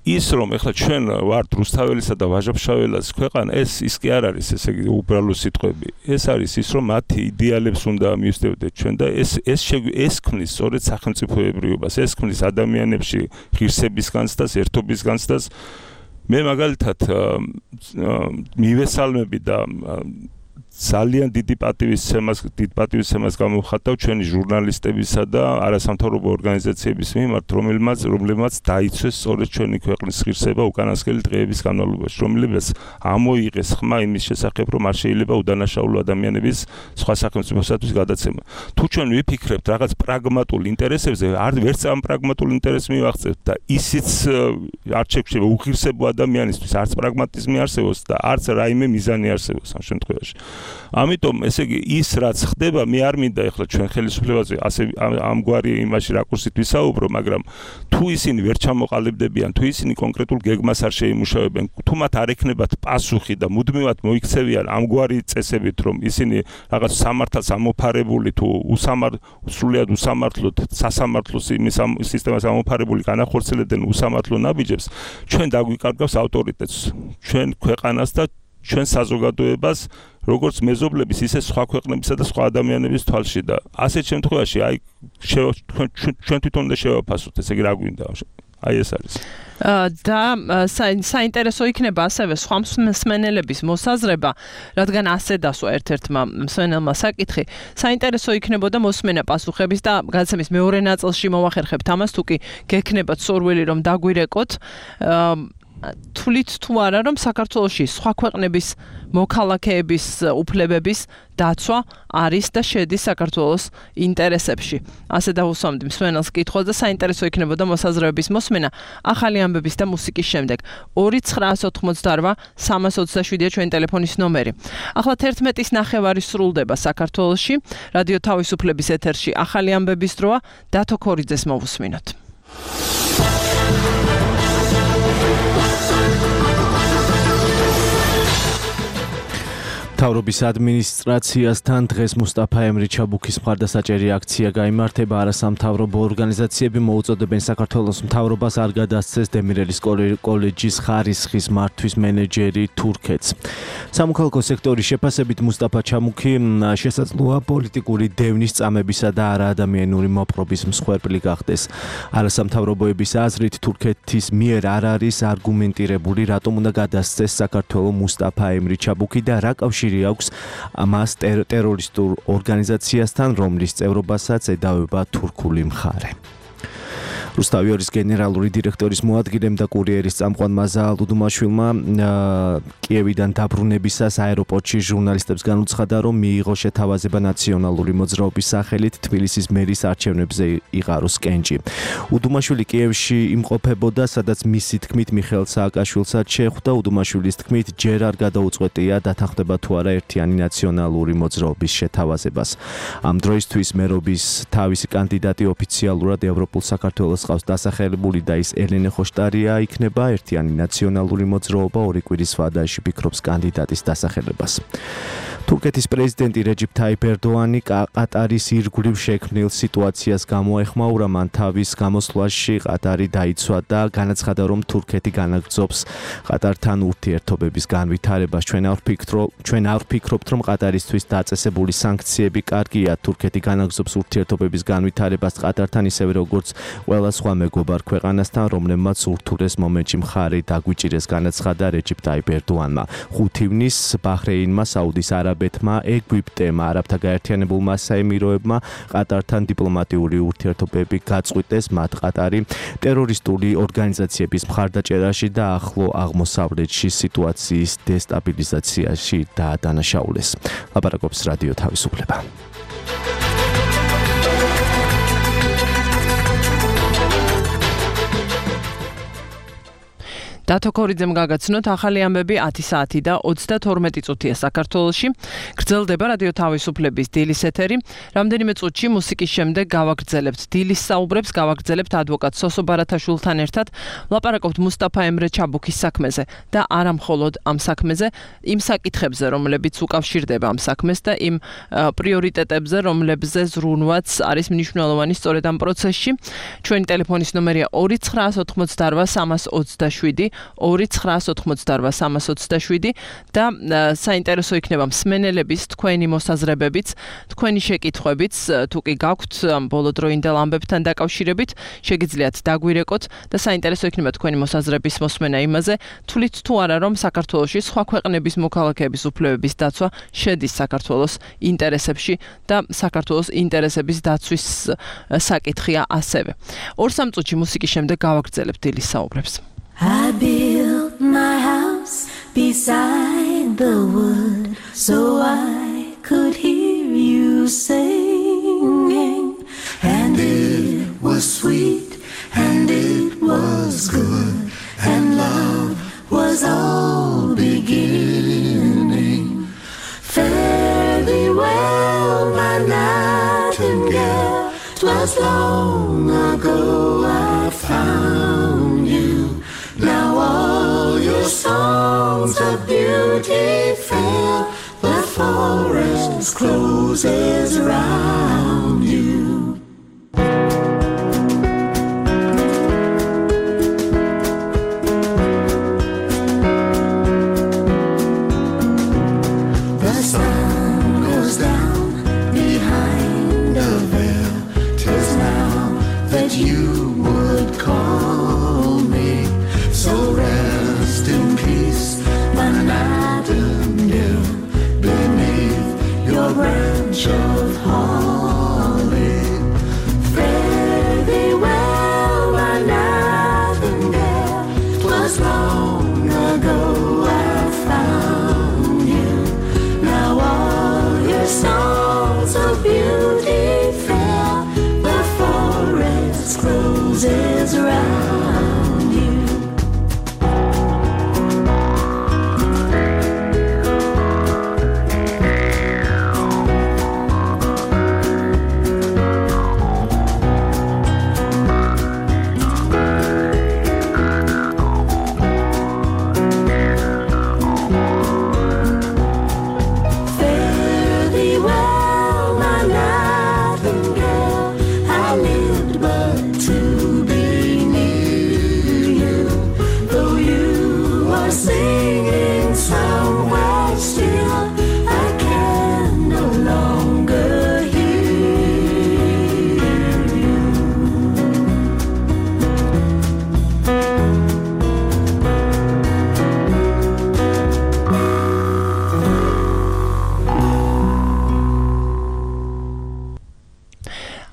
ის რომ ეხლა ჩვენ ვართ რუსთაველისა და ვაჟა-ფშაველას ქვეყანა, ის კი არ არის ესე იგი უბრალო სიტყვები. ეს არის ის რომ მათი იდეალებს უნდა მივსდევდეთ ჩვენ და ეს ქმნის სწორედ სახელმწიფოებრიობას, ეს ქმნის ადამიანებში ღირსების განცდას, ერთობის განცდას. მე მაგალითად მივესალმები და ძალიან დიდ პატივისცემას გამოვხატავ ჩვენი ჟურნალისტებისა და არასამთავრობო ორგანიზაციების მიმართ, რომლებმაც დაიცვეს სწორედ ჩვენი ქვეყნის ღირსება უკანასკნელი დღეების განმავლობაში, რომლებიც ამოიღეს ხმა იმის შესახებ, რომ არ შეიძლება უდანაშაულო ადამიანების სხვა სახელმწიფოსათვის გადაცემა. თუ ჩვენ ვიფიქრებთ რაღაც პრაგმატულ ინტერესებზე, ვერც ამ პრაგმატულ ინტერესს მივახცევთ და ისიც არ შეგვიძლია უღირსებო ადამიანისთვის არც პრაგმატიზმი არსებობს და არც რაიმე მიზანი არსებობს ამ შემთხვევაში. ამიტომ ესე იგი ის რაც ხდება მე არ მინდა ეხლა ჩვენ ხელისუფლებაზე ასე ამგვარი იმაში რაკურსით ვისაუბრო მაგრამ თუ ისინი ვერ ჩამოყალიბდებიან თუ ისინი კონკრეტულ გეგმას არ შეიმუშავებენ თუ მათ არ ექნებათ პასუხი და მუდმივად მოიქცევიან ამგვარი წესებით რომ ისინი რაღაც სამართალს ამოფარებული თუ სრულიად უსამართლოდ სასამართლოს იმის სისტემას ამოფარებული განახორციელებდნენ უსამართლო ნაბიჯებს ჩვენ დაგვიკარგავს ავტორიტეტს ჩვენ ქვეყანას და ჩვენ საზოგადოებას როგორც მეზობლების ისე სხვა ქვეყნებისა და სხვა ადამიანების თვალში და ასეთ შემთხვევაში აი ჩვენ თვითონ უნდა შევაფასოთ ესე იგი რა გვინდა აი ეს არის და საინტერესო იქნება ასევე სხვა მსმენელების მოსაზრება რადგან ასე დასვა ერთ-ერთმა მსმენელმა საკითხი საინტერესო იქნებოდა მოსმენა პასუხების და გადაცემის მეორე ნაწილში მოვახერხებთ ამას თუ კი გექნებათ სურვილი რომ დაგვირეკოთ თვლით თუ არა რომ საქართველოში სხვა ქვეყნების მოქალაქეების უფლებების დაცვა არის და შედის საქართველოს ინტერესებში. ასე დავუსვამდი მსმენელს კითხვას და საინტერესო იქნებოდა მოსაზრებების მოსმენა ახალი ამბების და მუსიკის შემდეგ. 2988 327-ია ჩვენი ტელეფონის ნომერი. ახლა 11:09 სრულდება საქართველოში. რადიო თავისუფლების ეთერში ახალი ამბების დროა. დათო ქორიძეს მოვუსმინოთ. მთავრობის ადმინისტრაციასთან დღეს მუსტაფა ემრიჩაბუქის მხარდასაჭერი აქცია გაიმართება. არასამთავრობო ორგანიზაციები მოუწოდებენ საქართველოს მთავრობას არ გადასცეს დემირელის კოლეჯის ხარისხის მართვის მენეჯერი თურქეთს. სამოქალაქო სექტორის შეფასებით მუსტაფა ჩამუქი შესაძლოა პოლიტიკური დევნის წამებისა და არაადამიანური მოპყრობის მსხვერპლი გახდეს. არასამთავრობოების აზრით თურქეთის მიერ არ არის არგუმენტირებული რატომ უნდა გადასცეს საქართველოს მუსტაფა ემრიჩაბუქი და რა კავშირი აქვს მას ტერორისტულ ორგანიზაციასთან, რომლის წევრობასაც ედავება თურქული მხარე. რუსთავიორის გენერალური დირექტორის მოადგილემ და კურიერის წამყვანმა ზაალ უდუმაშვილმა კიევიდან დაბრუნებისას აეროპორტში ჟურნალისტებს განუცხადა, რომ მიიღო შეთავაზება ნაციონალური მოძრაობის სახელით თბილისის მერის არჩევნებზე იყაროს კენჭი. უდუმაშვილი კიევში იმყოფებოდა, სადაც მისი თქმით მიხეილ სააკაშვილსაც შეხვდა. უდუმაშვილის თქმით ჯერ არ გადაუწყვეტია დათანხმდება თუ არა ერთიანი ნაციონალური მოძრაობის შეთავაზებას. ამ დროისთვის მერობის თავისი კანდიდატი ოფიციალურად ევროპულ საქართველოს ყავს დასახელებული და ის ელენე ხოშტარია იქნება. ერთიანი ნაციონალური მოძრაობა ორი კვირის ვადაში ფიქრობს კანდიდატის დასახელებას. თურქეთის პრეზიდენტი რეჯიპ თაიპ ერდოანი ყატარის ირგვლივ შექმნილ სიტუაციას გამოეხმაურა. მან თავის გამოსვლაში ყატარი დაიცვა და განაცხადა, რომ თურქეთი განაგრძობს ყატართან ურთიერთობების განვითარებას. ჩვენ არ ვფიქრობთ, რომ ყატარისთვის დაწესებული სანქციები კარგია. თურქეთი განაგრძობს ურთიერთობების განვითარებას ყატართან, ისევე როგორც ყველა სხვა მეგობარ ქვეყანასთან, რომლებმაც ურთულეს მომენტში მხარი დაგვიჭირეს, განაცხადა რეჯიპ თაიპ ერდოანმა. 5 ივნის ბაჰრეინმა, საუდის არაბეთმა, ეგვიპტემ, არაბთა გაერთიანებულმა საემიროებმა ყატართან დიპლომატიური ურთიერთობები გაწყვიტეს. მათ ყატარი ტერორისტული ორგანიზაციების მხარდაჭერაში და ახლო აღმოსავლეთში სიტუაციის დესტაბილიზაციაში დაადანაშაულეს. ლაპარაკობს რადიო თავისუფლება. დათო ქორიძემ გაგაცნოთ ახალი ამბები 10 საათი და 32 წუთია საქართველოში. გრძელდება რადიო თავისუფლების დილის ეთერი. რამდენიმე წუთში მუსიკის შემდეგ გავაგრძელებთ დილის საუბრებს, გავაგრძელებთ ადვოკატ სოსო ბარათაშვილთან ერთად. ვლაპარაკობთ მუსტაფა ემრიჩაბუქის საქმეზე და არა მხოლოდ ამ საქმეზე, იმ საკითხებზე, რომლებიც უკავშირდება ამ საქმეს და იმ პრიორიტეტებზე, რომლებზე ზრუნვაც არის მნიშვნელოვანი სწორედ ამ პროცესში. ჩვენი ტელეფონის ნომერია 2988 327 2988 327 და საინტერესო იქნება მსმენელების თქვენი მოსაზრებებიც, თქვენი შეკითხვებიც, თუ კი გაქვთ ბოლოდროინდელ ამბებთან დაკავშირებით, შეგიძლიათ დაგვირეკოთ და საინტერესო იქნება თქვენი მოსაზრების მოსმენა იმაზე, თვლით თუ არა რომ საქართველოში სხვა ქვეყნების მოქალაქეების უფლებების დაცვა შედის საქართველოს ინტერესებში და საქართველოს ინტერესების დაცვის საკითხია ასევე. 2-3 წუთში მუსიკის შემდეგ გავაგრძელებთ დილის საუბრებს. I built my house beside the wood so I could hear you singing, and it was sweet and it was good and love was all beginning. Fare thee well, my nightingale, 'twas long ago I found you. Now all your songs of beauty fill the forest closes round you. The sun goes down behind a veil. 'Tis now that you would call me. So rest in peace, my nightingale, beneath your branch of heart.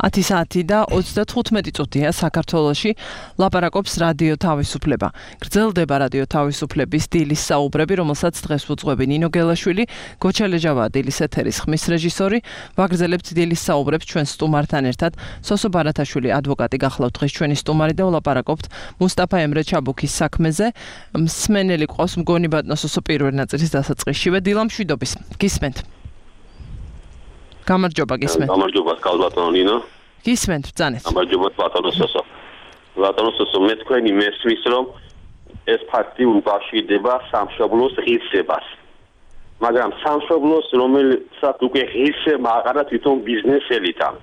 10 საათი და 35 წუთია საქართველოში ლაპარაკობს რადიო თავისუფლება. გრძელდება რადიო თავისუფლების დილის საუბრები, რომელსაც დღეს უძღვები ნინო გელაშვილი, გოჩელეჯავა დილის ეთერის ხმის რეჟისორი. ვაგრძელებთ დილის საუბრებს ჩვენ სტუმართან ერთად. სოსო ბარათაშვილი ადვოკატი გახლავთ დღეს ჩვენი სტუმარი და ვლაპარაკობთ მუსტაფა ემრე ჩაბუქის საქმეზე. მსმენელი ყავს მგონი ბატონო სოსო პირველ ნაწილის დასაწყისშივე დილა მშვიდობის. გისმენთ. გამარჯობა გისმენთ. გამარჯობა კალბატონო ნინო. გისმენთ ბრძანეთ. გამარჯობა ბატონო სოსო. ბატონო სოსო მე თქვენი მესმის რომ ეს ფაქტი უკავშირდება სამშობლოს ღირსებას. მაგრამ სამშობლოს რომელსაც უკვე ღირსება აღარა თვითონ ბიზნესელითან.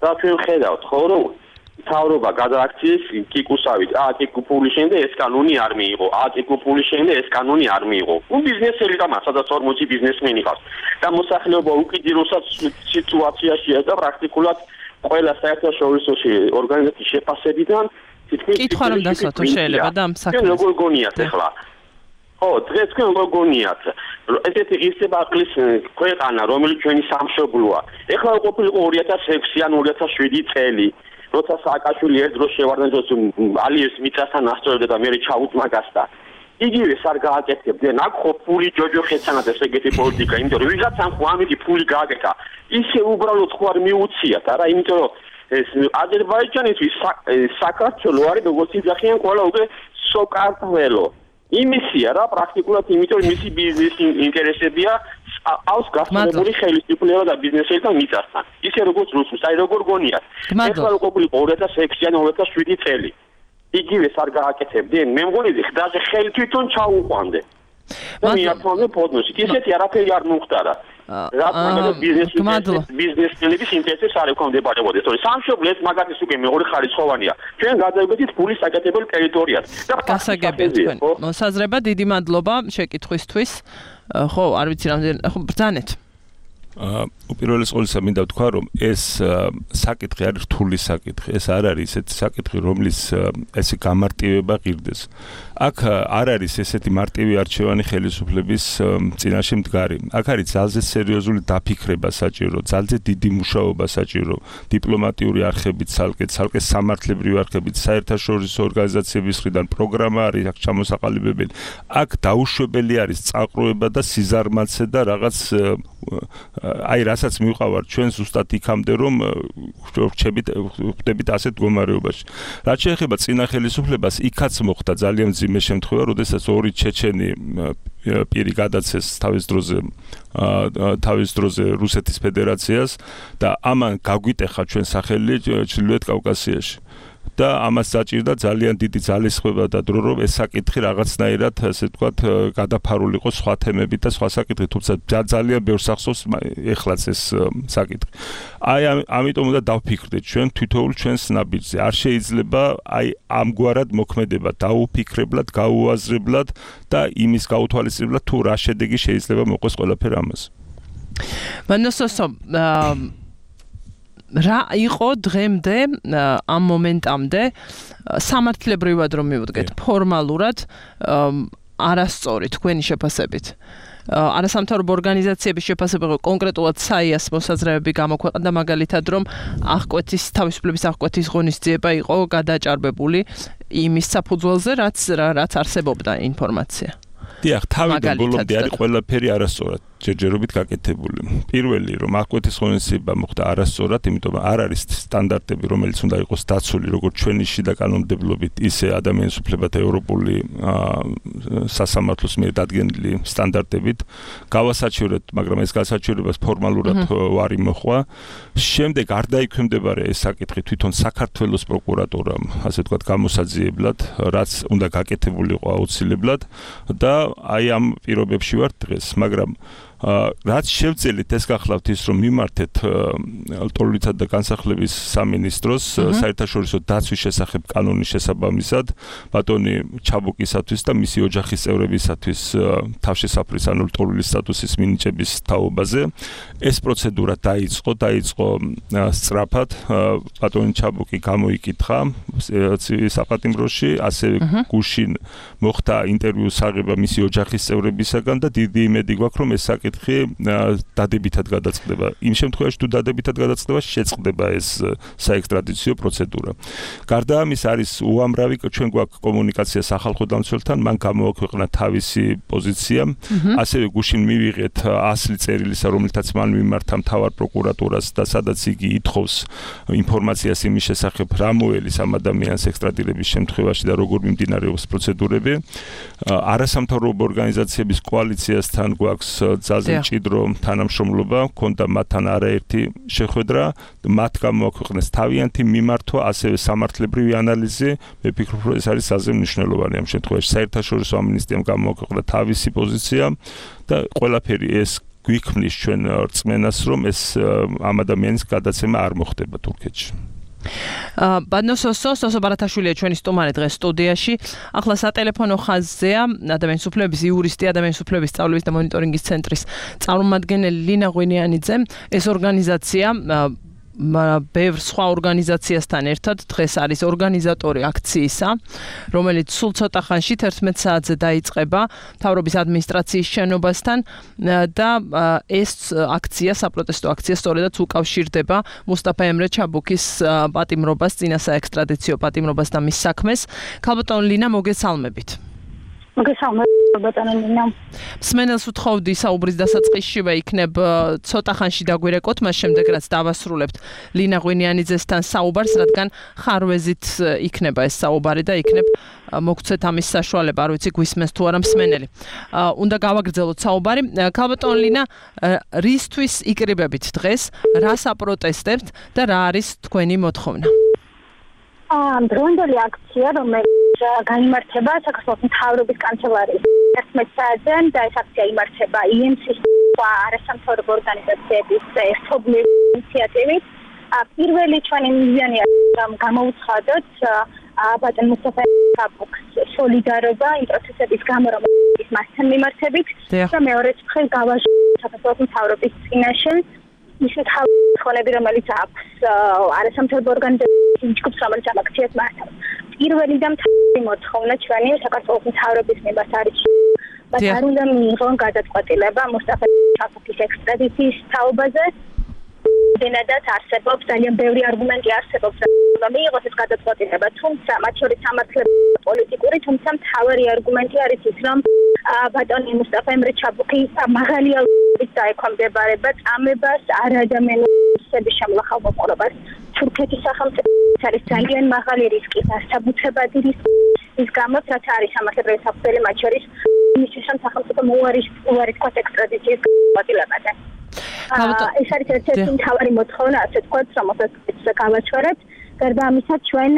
და ჩვენ ხედავთ ხო რომ თავრობა გადააქციეს კიკუსავით, კიკუ ფული შენდა ეს კანონი არ მიიღო, კიკუ ფული შენდა ეს კანონი არ მიიღო. ბიზნესი ელიტა სადაც 40 ბიზნესმენი ყავს. და მოსახლეობა უკიდურესად სიტუაციაშია და პრაქტიკულად ყველა საერთაშორისო ორგანიზაციის შეფასებიდან თითქმის კითხვა რომ დასვათო შეიძლება და ამ საქმეს. როგორ გონიათ ახლა? ხო, დღეს თქვენ როგორ გონიათ? ესეთი ღირსება აყლის ქვეყანა, რომელიც ჩვენი სამშობლოა. ეხლა ყოფილიყო 2006 ან 2007 წელი. როცა სააკაშვილი ერთ დროს შევარდნაძოს ალიევს მიწასთან ასწორებდა და მე ჩაუთმაგასდა. იგივე არ გააკეთებდნენ, აქ ხო ფული ჯოჯოხეთსანაც ეგეთი პოლიტიკა, იმიტომ რომ ვიღაცამ ხო ამითი ფული გააკეთა. ისე უბრალოდ ხო არ მიუციათ, არა, იმიტომ რომ ეს აზერბაიჯანისთვის საქართველო არის როგორც იძახიან ყველა უკვე სოკარტველო. იმისია რა პრაქტიკულად იმიტომ რომ მისი ბიზნესი ინტერესებია აქვს გასწორებული ხელისუფლება და ბიზნესელითა მიწასთან. ისე როგორც რუსულს, აი როგორ გონიათ. ეხლა ყოფილიყო 2006 ან 2007 წელი. იგივეს არ გააკეთებდნენ. მე მგონი ხდაზე ხელი თვითონ ჩაუყვანდნენ. და მიართმევდნენ ფოდნოში. ისეთი არაფერი არ მოხდარა. რა ბიზნესმენების ინტერესებს არ ექვემდებარებოდეს. თორე სამშობლოს მაგათის უკვე მეორე ხარისხოვანია. ჩვენ გადავიდეთ ფულის საკეთებელ ტერიტორიად. და გასაგებია თქვენ. მოსაზრება დიდი მადლობა შეკითხვისთვის. ხო, არ ვიცი რამდენი, ხო ბრძანეთ. უპირველეს ყოვლისა მინდა ვთქვა რომ ეს საკითხი არის რთული საკითხი. ეს არ არის ესეთი საკითხი რომლის ესე გამარტივება ღირდეს. აქ არ არის ესეთი მარტივი არჩევანი ხელისუფლების წინაშე მდგარი. აქ არის ძალზე სერიოზული დაფიქრება საჭირო, ძალზე დიდი მუშაობა საჭირო, დიპლომატიური არხებით ცალკე სამართლებრივი არხებით, საერთაშორისო ორგანიზაციების მხრიდან პროგრამა არის აქ ჩამოსაყალიბებელი. აქ დაუშვებელი არის წაყრუება და სიზარმაცე და რაღაც აი რასაც მივყავართ ჩვენ ზუსტად იქამდე რომ ხვდებით ასეთ მდგომარეობაში. რაც შეეხება წინა ხელისუფლებას, იქაც მოხდა ძალიან მძიმე შემთხვევა, როდესაც ორი ჩეჩენი პირი გადაცეს თავის დროზე რუსეთის ფედერაციას და ამან გაგვიტეხა ჩვენ სახელი ჩრდილოეთ კავკასიაში. და ამას საჭირდა ძალიან დიდი ძალისხმევა და დრო რომ ეს საკითხი რაღაცნაირად ასე ვთქვათ გადაფარულიყო სხვა თემებით და სხვა საკითხით, თუმცა ძალიან ბევრს ახსოვს ეხლაც ეს საკითხი. აი ამიტომ უნდა დავფიქრდეთ ჩვენ თვითოულ ჩვენს ნაბიჯზე. არ შეიძლება აი ამგვარად მოქმედება დაუფიქრებლად, გაუაზრებლად და იმის გაუთვალისწინებლად თუ რა შედეგი შეიძლება მოყვეს ყველაფერ ამას. მანოსოსო რა იყო დღემდე ამ მომენტამდე სამართლებრივად რომ მივუდგეთ ფორმალურად არასწორი თქვენი შეფასებით არასამთავრობო ორგანიზაციების შეფასება კონკრეტულად საიას მოსაზრებები გამოქვეყნდა მაგალითად რომ აღკვეთის თავისუფლების აღკვეთის ღონისძიება იყო გადაჭარბებული იმის საფუძველზე რაც არსებობდა ინფორმაცია. დიახ, თავიდან ბოლომდე არის ყველაფერი არასწორად ჯერჯერობით გაკეთებული. პირველი რომ აღკვეთის ღონისძიება მოხდა არასწორად, იმიტომ რომ არ არის სტანდარტები, რომელიც უნდა იყოს დაცული როგორც ჩვენი შიდა კანონმდებლობით, ისე ადამიანის უფლებათა ევროპული სასამართლოს მიერ დადგენილი სტანდარტებით. გავასაჩივრეთ, მაგრამ ეს გასაჩივრებას ფორმალურად ვარ იმოხვა. შემდეგ არ დაიქვემდებარა ეს საკითხი თვითონ საქართველოს პროკურატურამ, ასე ვთქვათ, გამოსაძიებლად, რაც უნდა გაკეთებულიყო აუცილებლად და აი ამ პირობებში ვარ დღეს, მაგრამ რაც შევწელით ეს გახლავთ ის რომ მიმართეთ ლტოლვილისა და განსახლების სამინისტროს საერთაშორისო დაცვის შესახებ კანონის შესაბამისად ბატონი ჩაბუკისათვის და მისი ოჯახის წევრებისათვის თავშესაფრის ანუ ლტოლვილის სტატუსის მინიჭების თაობაზე ეს პროცედურა დაიწყო სწრაფად ბატონი ჩაბუკი გამოიკითხა საპატიმროში ასევე გუშინ მოხდა ინტერვიუს აღება მისი ოჯახის წევრებისაგან და დიდი იმედი გვაქვს რომ ეს საკითხი საკითხი დადებითად გადაწყდება. იმ შემთხვევაში თუ დადებითად გადაწყდება, შეწყდება ეს საექსტრადიციო პროცედურა. გარდა ამის არის უამრავი ჩვენ გვაქვს კომუნიკაცია სახალხო დამცველთან, მან გამოაქვეყნა თავისი პოზიცია, ასევე გუშინ მივიღეთ 100 წერილისა, რომელთაც მან მიმართა მთავარ პროკურატურას და სადაც იგი ითხოვს ინფორმაციას იმის შესახებ, რა მოელის ამ ადამიანს ექსტრადირების შემთხვევაში და როგორ მიმდინარეობს პროცედურები. არასამთავრობო ორგანიზაციების კოალიციასთან გვაქვს ძალზე მჭიდრო თანამშრომლობა, ქონდა მათთან არაერთი შეხვედრა, მათ გამოაქვეყნეს თავიანთი მიმართვა, ასევე სამართლებრივი ანალიზი. მე ვფიქრობ, რომ ეს არის საზეიმო მნიშვნელოვანი ამ შემთხვევაში. საერთაშორისო ამინისტიამ გამოაქვეყნა თავისი პოზიცია და ყველაფერი ეს გვიქმნის ჩვენ რწმენას, რომ ეს ამ ადამიანის გადაცემა არ მოხდება თურქეთში. ბადნოსოსო ბარათაშვილია ჩვენი სტუმარი დღეს სტუდიაში. ახლა სატელეფონო ხაზზეა ადამიანის უფლებების იურისტი, ადამიანის უფლებების სწავლების და მონიტორინგის ცენტრის წარმომადგენელი ლინა ღვინიანიძე. ეს ორგანიზაცია ბევრ სხვა ორგანიზაციასთან ერთად დღეს არის ორგანიზატორი აქციისა, რომელიც სულ ცოტა ხანში 11 საათზე დაიწყება მთავრობის ადმინისტრაციის შენობასთან და ეს აქცია, საპროტესტო აქცია სწორედაც უკავშირდება მუსტაფა ემრე ჩაბუქის პატიმრობას, წინა საექსტრადიციო პატიმრობას და მის საქმეს. ქალბატონ ლინა, მოგესალმებით. მსმენელს ვთხოვდი საუბრის დასაწყისშივე იქნებ ცოტა ხანში დაგვირეკოთ, მას შემდეგ რაც დავასრულებთ ლინა ღვინიანიძესთან საუბარს, რადგან ხარვეზით იქნება ეს საუბარი და იქნებ მოგცეთ ამის საშუალება, არ ვიცი გვისმენს თუ არა მსმენელი. უნდა გავაგრძელოთ საუბარი. ქალბატონ ლინა, რისთვის იკრიბებით დღეს, რას აპროტესტებთ და რა არის თქვენი მოთხოვნა? დროინდელი აქცია, რომელიც გაიმართება საქართველოს მთავრობის კანცელარიის 11 საათზე და ეს აქცია იმართება IMC-ის არასამთავრობო ორგანიზაციების ერთობლივი ინიციატივით. პირველი ჩვენი მიზანია გამოვცხადოთ ბატონ მუსტაფა ჩაბუქს სოლიდარობა იმ პროცესების გამო, რომელიც მასთან მიმართებით და მეორეც მხრივ გავაჟღეროთ საქართველოს მთავრობის წინაშე ისეთ ხონები, რომელიც აქვს არასამთავრობო ორგანიზაციების ჯგუფს, რომელიც ამ აქციას მართავს. პირველი და მთავარი მოთხოვნა ჩვენი საქართველოს მთავრობის მიმართ არის არ უნდა მიიღონ გადაწყვეტილება მუსტაფა ჩაბუქის ექსტრადიციის თაობაზე. დენადაც არსებობს ძალიან ბევრი არგუმენტი არსებობს, რომ მიიღოს ეს გადაწყვეტილება, თუმცა მათ შორის სამართლებრივი პოლიტიკური, თუმცა მთავარი არგუმენტი არის ის, რომ ბატონი მუსტაფა ემრე ჩაბუქი მაღალი ალყით დაექვემდებარება წამებას, არადამიანობის შემლახავ მოპყრობას. თურქეთის სახელმწიფოს არის ძალიან მაღალი რისკი, დასაბუთებადი რისკი, ის გამოც რაც არის სამართლებრივი საფუძველი, მათ შორის იმისთვის, რომ სახელმწიფო უარი თქვას ექსტრადიციის გადაწყვეტილებაზე. ეს არის ერთ-ერთი მთავარი მოთხოვნა, ასე ვთქვათ, რომელსაც გავაჩვენებთ. გარდა ამისა, ჩვენ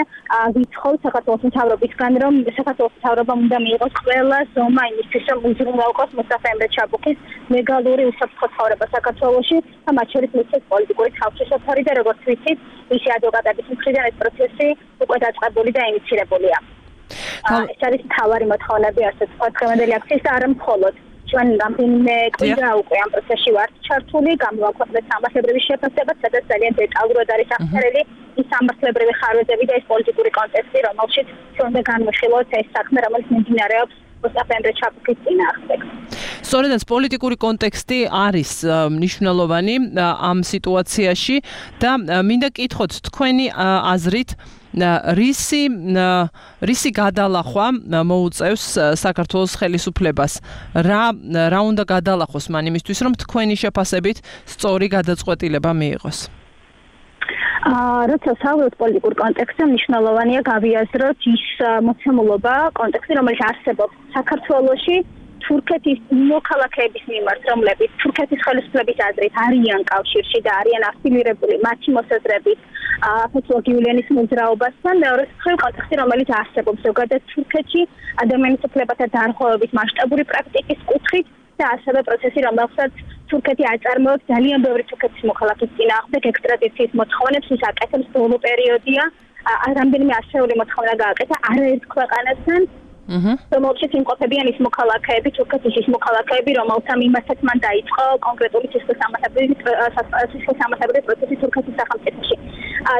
ვიცხოვთ საქართველოს მთავრობისგან, რომ საქართველოს მთავრობამ უნდა მიიღოს ყველა ზომა იმისთვის, რომ უზრუნველყოს მუსტაფა ემრე ჩაბუქის ლეგალური უსაფრთხო ცხოვრება საქართველოში და მათ შორის მისცეს პოლიტიკური თავშესაფარი და როგორც ვიცით, მისი ადვოკატების მხრიდან ეს პროცესი უკვე დაწყებული და ინიცირებულია. ეს არის მთავარი მოთხოვნები, ასე ვთქვათ, დღევანდელი აქციის და არა მხოლოდ. ჩვენ რამდენიმე კვირა უკვე ამ პროცესში ვართ ჩართული, გამოვაქვეყნეთ სამართლებრივი შეფასება, სადაც ძალიან დეტალურად არის აღწერილი ის სამართლებრივი ხარვეზები და ეს პოლიტიკური კონტექსტი, რომელშიც ჩვენ უნდა განვიხილოთ ეს საქმე, რომელიც მიმდინარეობს მუსტაფა ემრე ჩაბუქის წინააღმდეგ. სწორედაც პოლიტიკური კონტექსტი არის მნიშვნელოვანი ამ სიტუაციაში და მინდა კითხოთ თქვენი აზრით რისი გადალახვა მოუწევს საქართველოს ხელისუფლებას? რა უნდა გადალახოს მან იმისთვის, რომ თქვენი შეფასებით სწორი გადაწყვეტილება მიიღოს? როცა საუბრობთ პოლიტიკურ კონტექსტზე, მნიშვნელოვანია გავიაზროთ ის მოცემულობა, კონტექსტი, რომელიც არსებობს საქართველოში თურქეთის მოქალაქეების მიმართ, რომლებიც თურქეთის ხელისუფლების აზრით არიან კავშირში და არიან აფილირებული მათი მოსაზრებით ფეთულlah გიულენის მოძრაობასთან, მეორე მხრივ კონტექსტი, რომელიც არსებობს ზოგადად თურქეთში ადამიანის უფლებათა დარღვევების მასშტაბური პრაქტიკის კუთხით და ასევე პროცესი, რომელსაც თურქეთი აწარმოებს ძალიან ბევრი თურქეთის მოქალაქის წინააღმდეგ ექსტრადიციის მოთხოვნებს, ის აკეთებს ბოლო პერიოდია, რამდენიმე ასეული მოთხოვნა გააკეთა არაერთ ქვეყანასთან. რომელშიც იმყოფებიან ის მოქალაქეები, თურქეთის ის მოქალაქეები, რომელთა მიმართაც მან დაიწყო კონკრეტული სისხლისამართლებრივი პროცესი თურქეთის სახელმწიფოში.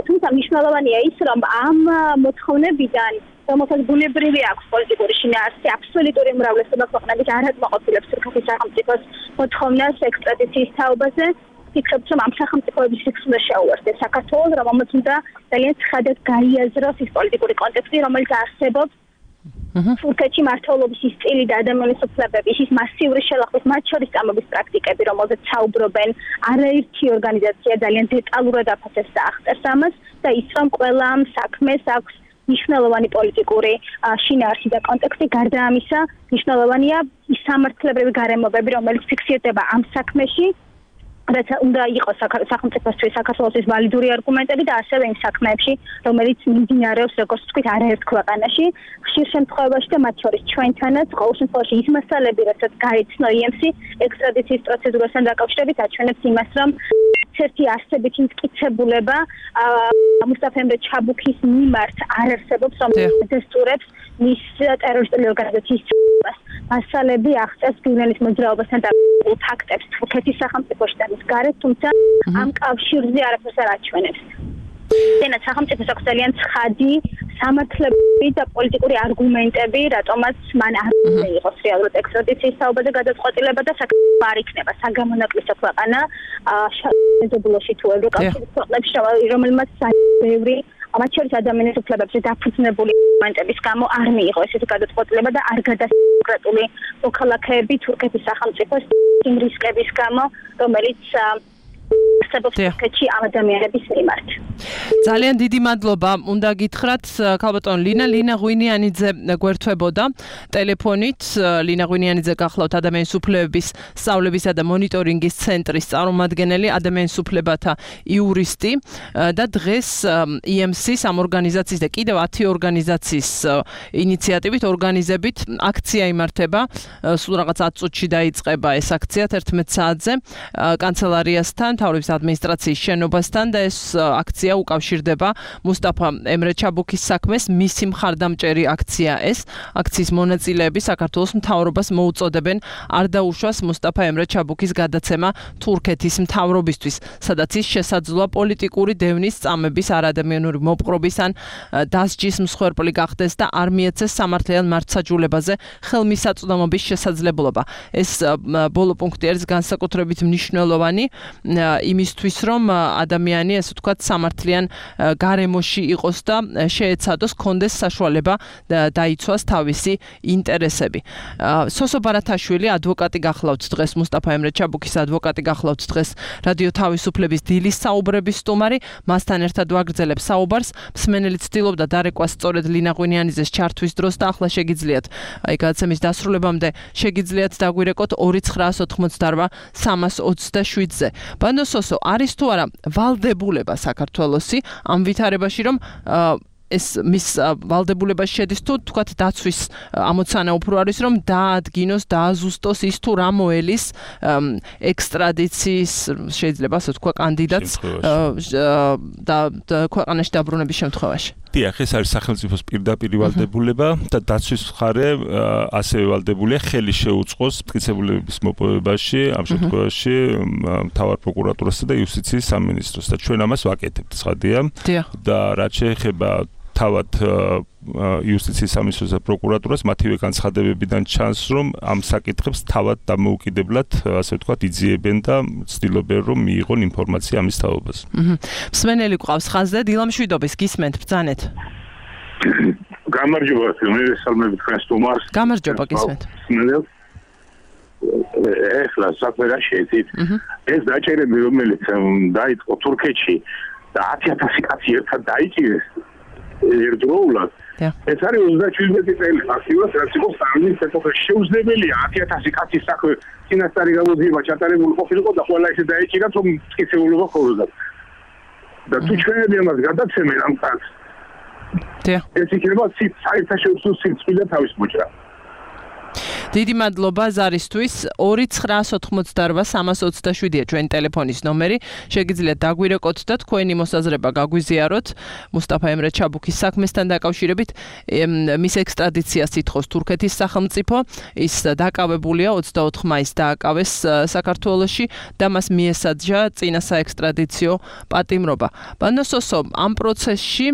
თუმცა მნიშვნელოვანია ის, რომ ამ მოთხოვნებიდან რომელსაც ბუნებრივი აქვს პოლიტიკური შინაარსი, აბსოლუტური უმრავლესობა ქვეყნების არ აკმაყოფილებს თურქეთის სახელმწიფოს მოთხოვნას ექსტრადიციის თაობაზე. ფიქრობთ, რომ ამ სახელმწიფოების რიგს უნდა შეუერთდეს საქართველოს, რომელმაც უნდა ძალიან ცხადად გაიაზროს ის პოლიტიკური კონტექსტი, რომელიც არსებობს თურქეთში მართლობის ის სტილი და ადამიანის უფლებების ის მასიური შელახვის მათ შორის წამების პრაქტიკები, რომელზეც საუბრობენ არაერთი ორგანიზაცია ძალიან დეტალურად აფასებს და აღწერს ამას და ის რომ ყველა ამ საქმეს აქვს მნიშვნელოვანი პოლიტიკური შინაარსი და კონტექსტი. გარდა ამისა, მნიშვნელოვანია ის სამართლებრივი გარემოებები, რომელიც ფიქსირდება ამ საქმეში, რაც უნდა იყოს სახელმწიფოსთვის საქართველოს ვალიდური არგუმენტები და ასევე იმ საქმეებში, რომელიც მიმდინარეობს, როგორც ვთქვით, არაერთ ქვეყანაში, ხშირ შემთხვევაში და მათ შორის ჩვენთანაც, ყოველ შემთხვევაში ის მასალები, რასაც გაიცნო EMC ექსტრადიციის პროცედურასთან დაკავშირებით, აჩვენებს იმას, რომ ერთი არსებითი მტკიცებულება მუსტაფა ემრე ჩაბუქის მიმართ არ არსებობს, რომელიც დესტურებს მის ტერორისტული ორგანიზაციის წვლილებას. მასალები აღწერს გივნელის მოძრაობასთან დაკავშირებულ ფაქტებს თურქეთის სახელმწიფოში და მის გარეთ, თუმცა ამ კავშირზე არაფერს არ აჩვენებს. დენაც სახელმწიფოს აქვს ძალიან ცხადი სამართლებრივი და პოლიტიკური არგუმენტები, რატომაც მან არ უნდა იყოს რეალურად ექსტრადიციის თაობაზე გადაწყვეტილება და საქართველოს არ იქნება საგამონაკლისო ქვეყანა შეზებულოში თუ ევროკავშირის ქვეყნებში, რომელმაც ბევრი მათ შორის ადამიანის უფლებებზე დაფუძნებული არგუმენტების გამო არ მიიღო ესეთი გადაწყვეტილება და არ გადასაკრატული მოქალაქეები თურქეთის სახელმწიფოს იმ რისკების გამო, რომელიც არსებობს თურქეთში ამ ადამიანების მიმართ. ძალიან დიდი მადლობა. უნდა გითხრათ ქალბატონ ლინა ღვინიანიძე გვერდთვებოდა ტელეფონით. ლინა ღვინიანიძე გახლავთ ადამიანის უფლებების სწავლებისა და მონიტორინგის ცენტრის წარმომადგენელი, ადამიანის უფლებათა იურისტი და დღეს EMC-ს ამ ორგანიზაციის და კიდევ 10 ორგანიზაციის ინიციატივით ორგანიზებით აქცია იმართება. სულ რაღაც 10 წუთში დაიწყება ეს აქცია 11 საათზე კანცელარიასთან, მთავრობის ადმინისტრაციის შენობასთან და ეს აქცია უკავშირდება მუსტაფა ემრე ჩაბუქის საქმეს. მისი მხარდამჭერი აქცია ეს. აქციის მონაწილეები საქართველოს მთავრობას მოუწოდებენ არ დაუშვას მუსტაფა ემრე ჩაბუქის გადაცემა თურქეთის მთავრობისთვის, სადაც ის შესაძლოა პოლიტიკური დევნის წამების, არადამიანური მოპყრობის ან დასჯის მსხვერპლი გახდეს და არ მიეცეს სამართლიან მართლმსაჯულებაზე ხელმისაწვდომობის შესაძლებლობა. ეს ბოლო პუნქტი არის განსაკუთრებით მნიშვნელოვანი იმისთვის, რომ ადამიანი, ასე ვთქვათ, სამართლიან გარემოში იყოს და შეეცადოს, კონდეს საშუალება დაიცვას თავისი ინტერესები. სოსო ბარათაშვილი, ადვოკატი გახლავთ დღეს, მუსტაფა ემრე ჩაბუქის ადვოკატი გახლავთ დღეს რადიო თავისუფლების დილის საუბრების სტუმარი. მასთან ერთად ვაგრძელებ საუბარს. მსმენელი ცდილობდა დარეკვას სწორედ ლინა ღვინიანიძეს ჩართვის დროს და ახლა შეგიძლიათ, აი გადაცემის დასრულებამდე შეგიძლიათ დაგვირეკოთ 2988 327-ზე. ბანდო სოსო, არის თუ არა ვალდებულება საქართველოსი ამ ვითარებაში, რომ ეს მის ვალდებულებაში შედის თუ თქვათ დაცვის ამოცანა უფრო არის, რომ დაადგინოს, დააზუსტოს ის თუ რა მოელის ექსტრადიციის შეიძლება ასე თქვა კანდიდატს და ქვეყანაში დაბრუნების შემთხვევაში. დიახ, ეს არის სახელმწიფოს პირდაპირი ვალდებულება და დაცვის მხარე ასევე ვალდებულია ხელი შეუწყოს მტკიცებულების მოპოვებაში, ამ შემთხვევაში მთავარ პროკურატურასა და იუსტიციის სამინისტროს და ჩვენ ამას ვაკეთებთ, ცხადია. და რაც შეეხება თავად იუსტიციის სამინისტროს და პროკურატურას, მათივე განცხადებებიდან ჩანს, რომ ამ საკითხებს თავად დამოუკიდებლად, ასე ვთქვათ, იძიებენ და ცდილობენ, რომ მიიღონ ინფორმაცია ამის თაობაზე. მსმენელი გვყავს ხაზზე, დილამშვიდობის, გისმენთ, ბრძანეთ. გამარჯობა, მე სალმები თქვენ სტუმარს. გამარჯობა, გისმენთ. ეხლა საქმე რა შეეცით. ეს დაჭერები, რომელიც დაიწყო თურქეთში და 10000 კაცი ერთად დაიჭირეს ერთდროულად. ეს არის 37 წელი ფაქტიურად, რაც იყო სტალინის ეპოქაში შეუძლებელია 10000 კაცის საქმე წინასწარი გამოძიება ჩატარებული ყოფილიყო და ყველა ისე დაეჭირათ, რომ მტკიცებულობა ხორდა. და თუ ჩვენები ამას გადაცემენ ამ კაცს, ეს იქნება საერთაშორისო სიცხვილე თავის მოჭრა. დიდი მადლობა ზარისთვის. 2988 327-ია ჩვენი ტელეფონის ნომერი. შეგიძლიათ დაგვირეკოთ და თქვენი მოსაზრება გაგვიზიაროთ მუსტაფა ემრე ჩაბუქის საქმესთან დაკავშირებით. მის ექსტრადიციას ითხოვს თურქეთის სახელმწიფო. ის დაკავებულია 24 მაისს დააკავეს საქართველოში და მას მიესაჯა წინა საექსტრადიციო პატიმრობა. ბანდო სოსო, ამ პროცესში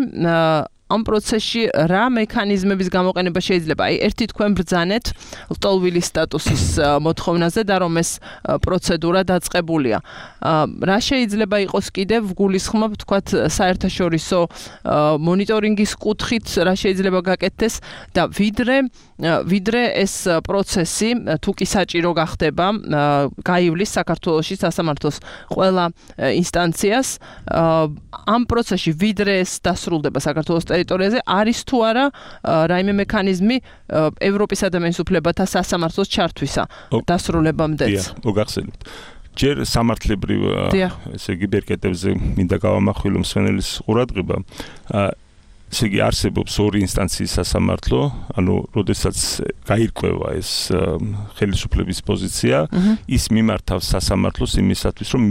ამ პროცესში რა მექანიზმების გამოყენება შეიძლება? აი, ერთი თქვენ ბრძანეთ ლტოლვილის სტატუსის მოთხოვნაზე და რომ ეს პროცედურა დაწყებულია. რა შეიძლება იყოს კიდევ გულისხმობ, თქვათ, საერთაშორისო მონიტორინგის კუთხით რა შეიძლება გაკეთდეს და ვიდრე ეს პროცესი თუ კი საჭირო გახდება, გაივლის საქართველოში სასამართლოს ყველა ინსტანციას, ამ პროცესში ვიდრე ეს დასრულდება საქართველოს ტერიტორიაზე, არის თუ არა რაიმე მექანიზმი ევროპის ადამიანის უფლებათა სასამართლოს ჩართვისა დასრულებამდეც. მოგახსენებთ. ჯერ სამართლებრივ ესე იგი ბერკეტებზე მინდა გავამახვილო მსვენელის ყურადღება. ესე იგი არსებობს ორი ინსტანციის სასამართლო, ანუ როდესაც გაირკვევა ეს ხელისუფლების პოზიცია, ის მიმართავს სასამართლოს იმისათვის, რომ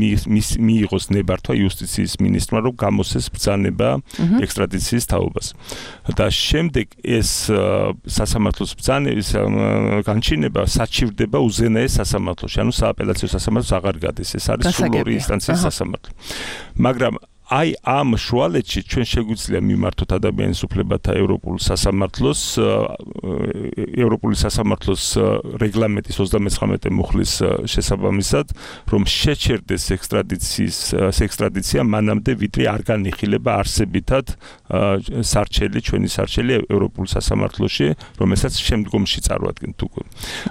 მიიღოს ნებართვა იუსტიციის მინისტრმა, რომ გამოსცეს ბრძანება ექსტრადიციის თაობას. და შემდეგ ეს სასამართლოს ბრძანების განჩინება საჩივდება უზენაეს სასამართლოში, ანუ სააპელაციო სასამართლოს აღარ გადის. ეს არის სულ ორი ინსტანციის სასამართლო. მაგრამ აი ამ შუალედში ჩვენ შეგვიძლია მიმართოთ ადამიანის უფლებათა ევროპულ სასამართლოს ევროპული სასამართლოს რეგლამენტის 39 მუხლის შესაბამისად, რომ შეჩერდეს ექსტრადიცია მანამდე ვიდრე არ განიხილება არსებითად ჩვენი სარჩელი ევროპულ სასამართლოში, რომელსაც შემდგომში წარვადგენთ უკვე.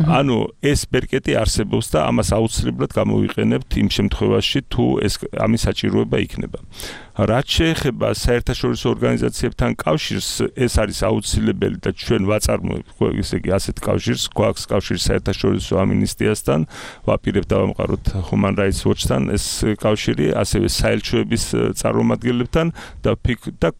ანუ ეს ბერკეტი არსებობს და ამას აუცილებლად გამოვიყენებთ იმ შემთხვევაში, თუ ამის საჭიროება იქნება. რაც შეეხება საერთაშორისო ორგანიზაციებთან კავშირს, ეს არის აუცილებელი და ჩვენ ვაწარმოებთ, ესე იგი ასეთ კავშირს, გვაქვს კავშირი საერთაშორისო ამინისტიასთან, ვაპირებთ დავამყაროთ Human Rights Watch-თან ეს კავშირი, ასევე საელჩოების წარმომადგენლებთან და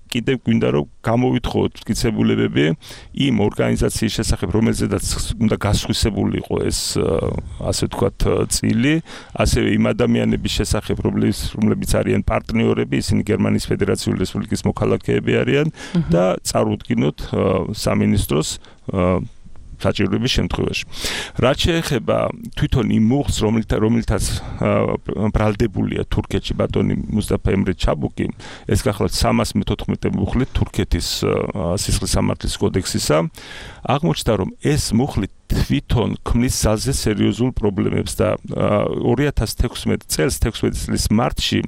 კიდევ გვინდა რომ გამოვითხოვოთ მტკიცებულებები იმ ორგანიზაციის შესახებ, რომელზედაც უნდა გასხვისებული იყო ეს ასე ვთქვათ წილი, ასევე იმ ადამიანების შესახებ, რომლებიც არიან პარტნიორები, ისინი გერმანიის ფედერაციული რესპუბლიკის მოქალაქეები არიან და წარუდგინოთ სამინისტროს საჭიროების შემთხვევაში. რაც შეეხება თვითონ იმ მუხლს, რომელთაც ბრალდებულია თურქეთში ბატონი მუსტაფა ემრე ჩაბუკი, ეს გახლავთ 314 მუხლი თურქეთის სისხლის სამართლის კოდექსისა, აღმოჩნდა, რომ ეს მუხლი თვითონ ქმნის ძალზე სერიოზულ პრობლემებს და 2016 წლის მარტში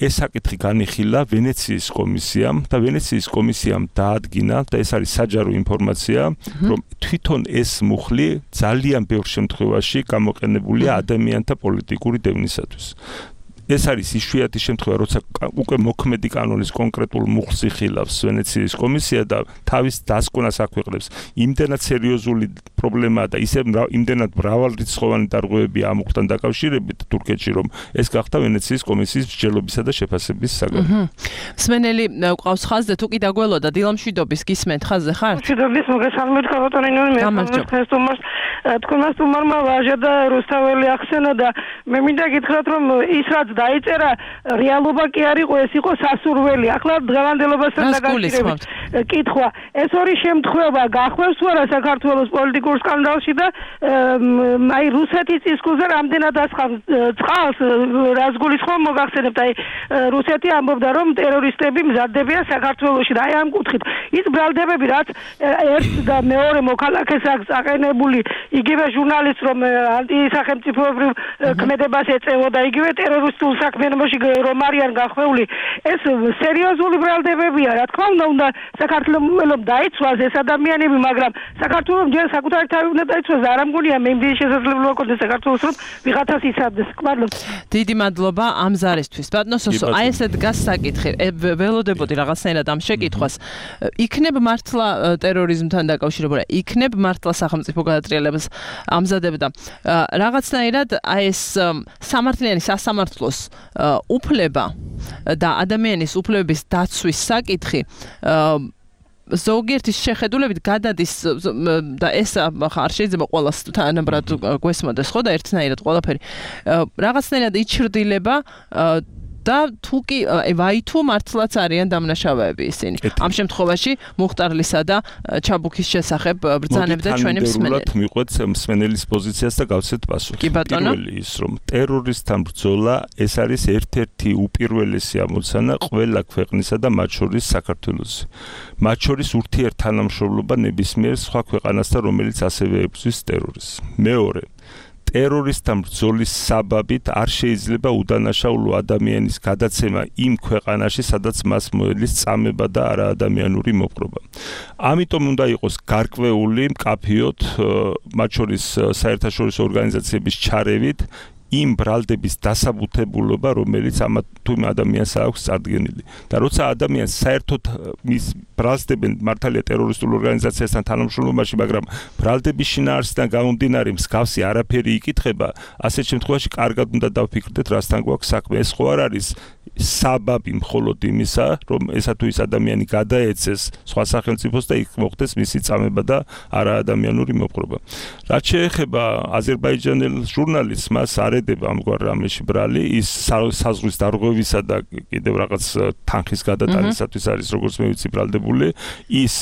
ეს საკითხი განიხილა ვენეციის კომისიამ და ვენეციის კომისიამ დაადგინა და ეს არის საჯარო ინფორმაცია, რომ თვითონ ეს მუხლი ძალიან ბევრ შემთხვევაში გამოყენებულია ადამიანთა პოლიტიკური დევნისათვის. ეს არის იშვიათი შემთხვევა, როცა უკვე მოქმედი კანონის კონკრეტულ მუხლს იხილავს ვენეციის კომისია და თავის დასკვნას აქვეყნებს. იმდენად სერიოზული პრობლემაა და ისე იმდენად მრავალრიცხოვანი დარღვევები ამ მუხლთან დაკავშირებით თურქეთში, რომ ეს გახდა ვენეციის კომისიის მსჯელობისა და შეფასების საგანი. მსმენელი ყავს ხაზზე, თუ კი დაგველოდა დილამშვიდობის გისმენთ ხაზზე ხართ? მშვიდობის მოგესალმებით ქალბატონინო, თქვენმა სტუმარმა ვაჟა და რუსთაველი ახსენა და მე მინდა გითხრათ, რომ ის რაც დაიწერა რეალობა კი არ იყო, ეს იყო სასურველი. ახლა დღევანდელობასთან დაკავშირებით კითხვა, ეს ორი შემთხვევა გახვევს თუ არა საქართველოს პოლიტიკურ სკანდალში და აი რუსეთის წისქვილზე რამდენად ასხამს წყალს, რას გულისხმობ მოგახსენებთ, აი რუსეთი ამბობდა, რომ ტერორისტები მზადდებიან საქართველოში და აი ამ კუთხით ის ბრალდებები, რაც ერთ და მეორე მოქალაქეს აქვს აყენებული, იგივე ჟურნალისტს, რომ ანტისახელმწიფოებრივ ქმედებას ეწევოდა, იგივე ტერორისტულ საქმიანობაში რომ არიან გახვეული, ეს სერიოზული ბრალდებებია. რა თქმა უნდა, საქართველოს დაიცვას ეს ადამიანები, მაგრამ საქართველოს ჯერ საკუთარი თავი უნდა დაიცვას და არ ამგონია მე იმდენი შესაძლებლობა გქონდეს საქართველოს, რომ ვიღაცას იცავდეს. მადლობა. დიდი მადლობა ამ ზარისთვის. ბატონო სოსო, აი ესე დგას საკითხი. ველოდებოდი რაღაცნაირად ამ შეკითხვას. იქნებ მართლა ტერორიზმთან დაკავშირებული, იქნებ მართლა სახელმწიფო გადატრიალებას ამზადებდა. რაღაცნაირად აი ეს სამართლიანი სასამართლოს უფლება და ადამიანის უფლებების დაცვის საკითხი ზოგიერთის შეხედულებით გადადის და ეს არ შეიძლება ყველას თანაბრად გვესმოდეს, ხო და ერთნაირად ყველაფერი რაღაცნაირად იჩრდილება და თუ კი ვაი თუ მართლაც არიან დამნაშავეები ისინი. ამ შემთხვევაში მუხტარლისა და ჩაბუქის შესახებ ბრძანებდა ჩვენი მსმენელი. მიყვეთ მსმენელის პოზიციას და გავცეთ პასუხი. პირველი ის რომ ტერორისტთან ბრძოლა ეს არის ერთ-ერთი უპირველესი ამოცანა ყველა ქვეყნისა და მათ შორის საქართველოსი. მათ შორის ურთიერთთანამშრომლობა ნებისმიერ სხვა ქვეყანასთან, რომელიც ასევე ებრძვის ტერორიზმს. მეორე ტერორისტთან ბრძოლის საბაბით არ შეიძლება უდანაშაულო ადამიანის გადაცემა იმ ქვეყანაში, სადაც მას მოელის წამება და არაადამიანური მოპყრობა. ამიტომ უნდა იყოს გარკვეული მკაფიოდ, მათ შორის საერთაშორისო ორგანიზაციების ჩარევით, იმ ბრალდების დასაბუთებულობა, რომელიც ამ თუ იმ ადამიანს აქვს წარდგენილი. და როცა ადამიანს საერთოდ მის ბრალდებენ მართალია ტერორისტულ ორგანიზაციასთან თანამშრომლობაში, მაგრამ ბრალდების შინაარსიდან გამომდინარე მსგავსი არაფერი იკითხება, ასეთ შემთხვევაში კარგად უნდა დავფიქრდეთ, რასთან გვაქვს საქმე. ეს ხო არ არის საბაბი მხოლოდ იმისა, რომ ესა თუ ის ადამიანი გადაეცეს სხვა სახელმწიფოს და იქ მოხდეს მისი წამება და არაადამიანური მოპყრობა. რაც შეეხება აზერბაიჯანელ ჟურნალისტს, მას არ ედება ამგვარ რამეში ბრალი, ის საზღვის დარღვევისა და კიდევ რაღაც თანხის გადატანისათვის არის როგორც მე ვიცი ბრალდებული, ის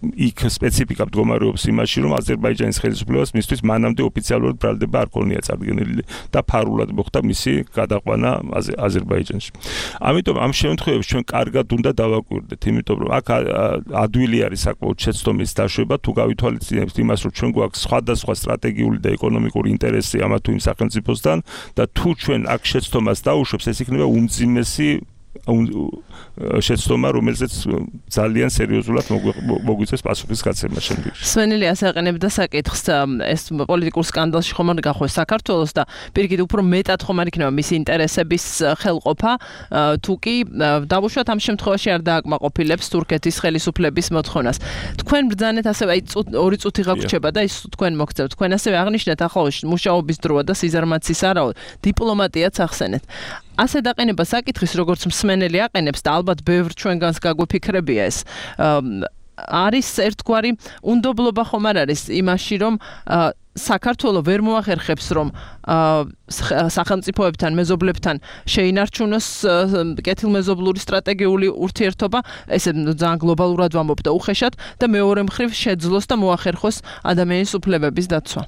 იქ სპეციფიკა მდგომარეობს იმაში, რომ აზერბაიჯანის ხელისუფლებას მისთვის მანამდე ოფიციალურად ბრალდება არ ქონია წარდგენილი და ფარულად მოხდა მისი გადაყვანა აზერბაიჯანში. ამიტომ ამ შემთხვევებში ჩვენ კარგად უნდა დავაკვირდეთ, იმიტომ რომ აქ ადვილი არის საკმაოდ შეცდომის დაშვება, თუ გავითვალისწინებთ იმას, რომ ჩვენ გვაქვს სხვადასხვა სტრატეგიული და ეკონომიკური ინტერესი ამა თუ იმ სახელმწიფოსთან და თუ ჩვენ აქ შეცდომას დაუშვებს, ეს იქნება უმძიმესი შეცდომა, რომელზეც ძალიან სერიოზულად მოგვიწევს პასუხის გაცემა შემდგომში. სვენელი ასე აყენებდა საკითხს, ეს პოლიტიკურ სკანდალში ხომ არ გახოს საქართველოს და პირიქით უფრო მეტად ხომ არ იქნება მისი ინტერესების ხელყოფა, თუ კი დავუშვათ ამ შემთხვევაში არ დააკმაყოფილებს თურქეთის ხელისუფლების მოთხოვნას. თქვენ ბრძანეთ ასევე აი 2 წუთი გაგვრჩება და ის თქვენ მოგწევთ. თქვენ ასევე აღნიშნეთ ახლა მუშაობის დროა და სიზარმაცის არაო, დიპლომატიაც ახსენეთ. ასე დაყენება საკითხის, როგორც მსმენელი აყენებს და ალბათ ბევრ ჩვენგანს გაგვიფიქრებია ეს. არის ერთგვარი უნდობლობა ხომ არ არის იმაში, რომ საქართველოს ვერ მოახერხებს, რომ სახელმწიფოებთან, მეზობლებთან შეინარჩუნოს კეთილმეზობლური სტრატეგიული ურთიერთობა, ესე ძალიან გლობალურად ვამბობ და უხეშად და მეორე მხრივ შეძლოს და მოახერხოს ადამიანის უფლებების დაცვა.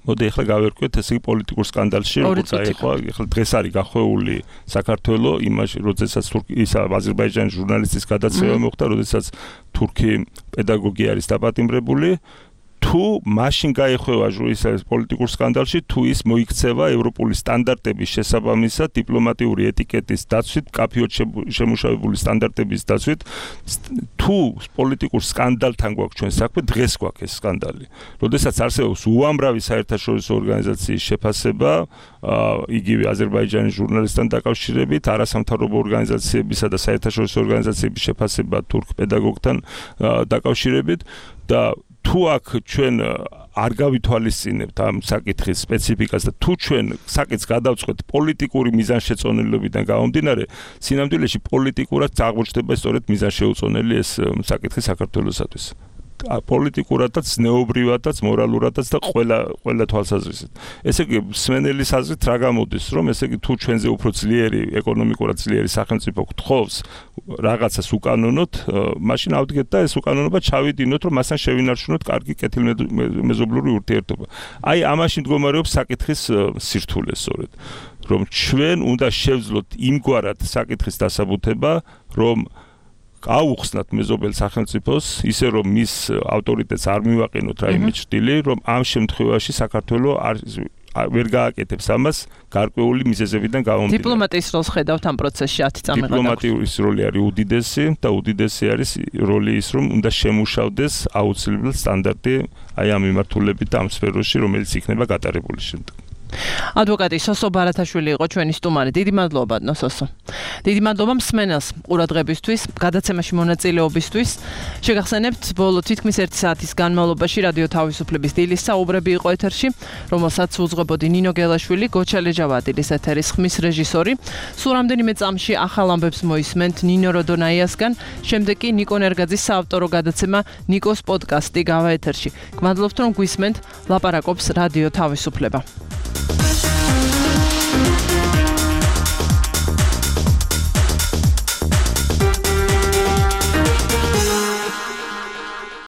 მოდი ახლა გავერკვეთ ესე იგი პოლიტიკურ სკანდალში, როგორც აიხვა, ახლა დღეს არის გახვეული საქართველოს იმაში, როდესაც აზერბაიჯანის ჟურნალისტის გადაცემა მოხდა, როდესაც თურქი პედაგოგი არის დაპატიმრებული. თუ მაშინ გაეხვევა ის პოლიტიკურ სკანდალში, თუ ის მოიქცევა ევროპული სტანდარტების შესაბამისად დიპლომატიური ეტიკეტის დაცვით, კაფეოდ შემუშავებული სტანდარტების დაცვით, თუ პოლიტიკურ სკანდალთან გვაქვს ჩვენ საქმე, დღეს გვაქვს ეს სკანდალი. როდესაც არსებობს უამრავი საერთაშორისო ორგანიზაციის შეფასება, იგივე აზერბაიჯანის ჟურნალისტთან დაკავშირებით, არასამთავრობო ორგანიზაციებისა და საერთაშორისო ორგანიზაციების შეფასება თურქ პედაგოგთან დაკავშირებით და თუ აქ ჩვენ არ გავითვალისწინებთ ამ საკითხის სპეციფიკას და თუ ჩვენ საკითხს გადავწყვეტ პოლიტიკური მიზანშეწონილობიდან გამომდინარე, სინამდვილეში პოლიტიკურად აღმოჩნდება სწორედ მიზანშეუწონელი ეს საკითხი საქართველოსათვის. პოლიტიკურადაც, ნეობრივადაც, მორალურადაც და ყველა თვალსაზრისით. ესე იგი, მსმენელის აზრით რა გამოდის, რომ ესე იგი თუ ჩვენზე უფრო ძლიერი, ეკონომიკურად ძლიერი სახელმწიფო გთხოვს რაღაცას უკანონოთ, მაშინ ავდგეთ და ეს უკანონობა ჩავიდინოთ, რომ მასთან შევინარჩუნოთ კარგი კეთილმეზობლური ურთიერთობა. აი, ამაში მდგომარეობს საკითხის სირთულე სწორედ, რომ ჩვენ უნდა შევძლოთ იმგვარად საკითხის დასაბუთება, რომ აუხსნათ მეზობელ სახელმწიფოს, ისე რომ მის ავტორიტეტს არ მივაყენოთ რაიმე ჭრილი, რომ ამ შემთხვევაში საქართველოს ვერ გააკეთებს ამას გარკვეული მიზეზებიდან გამომდინარე. დიპლომატიის როლს ხედავთ ამ პროცესში 10 წამი გადაგვდა. დიპლომატიის როლი არის უდიდესი და უდიდესი არის როლი ის, რომ უნდა შემუშავდეს აუცილებლად სტანდარტი აი ამ მიმართულებით და ამ სფეროში, რომელიც იქნება გატარებული შემდეგ. ადვოკატი სოსო ბარათაშვილი იყო ჩვენი სტუმარი. დიდი მადლობა ნოსოსო. დიდი მადლობა მსმენელს ყურადღებისთვის, გადაცემაში მონაწილეობისთვის. შეგახსენებთ, ბოლო თითქმის 1 საათის განმავლობაში რადიო თავისუფლების დილის საუბრები იყო ეთერში, რომელსაც უძღვებოდი ნინო გელაშვილი, გოჩა ლეჯავადილის ეთერის ხმის რეჟისორი. სულ რამდენიმე წამში ახალ ამბებს მოისმენთ ნინო როდონაიასგან, შემდეგ კი ნიკო ნერგაძის საავტორო გადაცემა ნიკოს პოდკასტი გავა ეთერში. გმადლობთ რომ გვისმენთ, ლაპარაკობს რადიო თავისუფლება.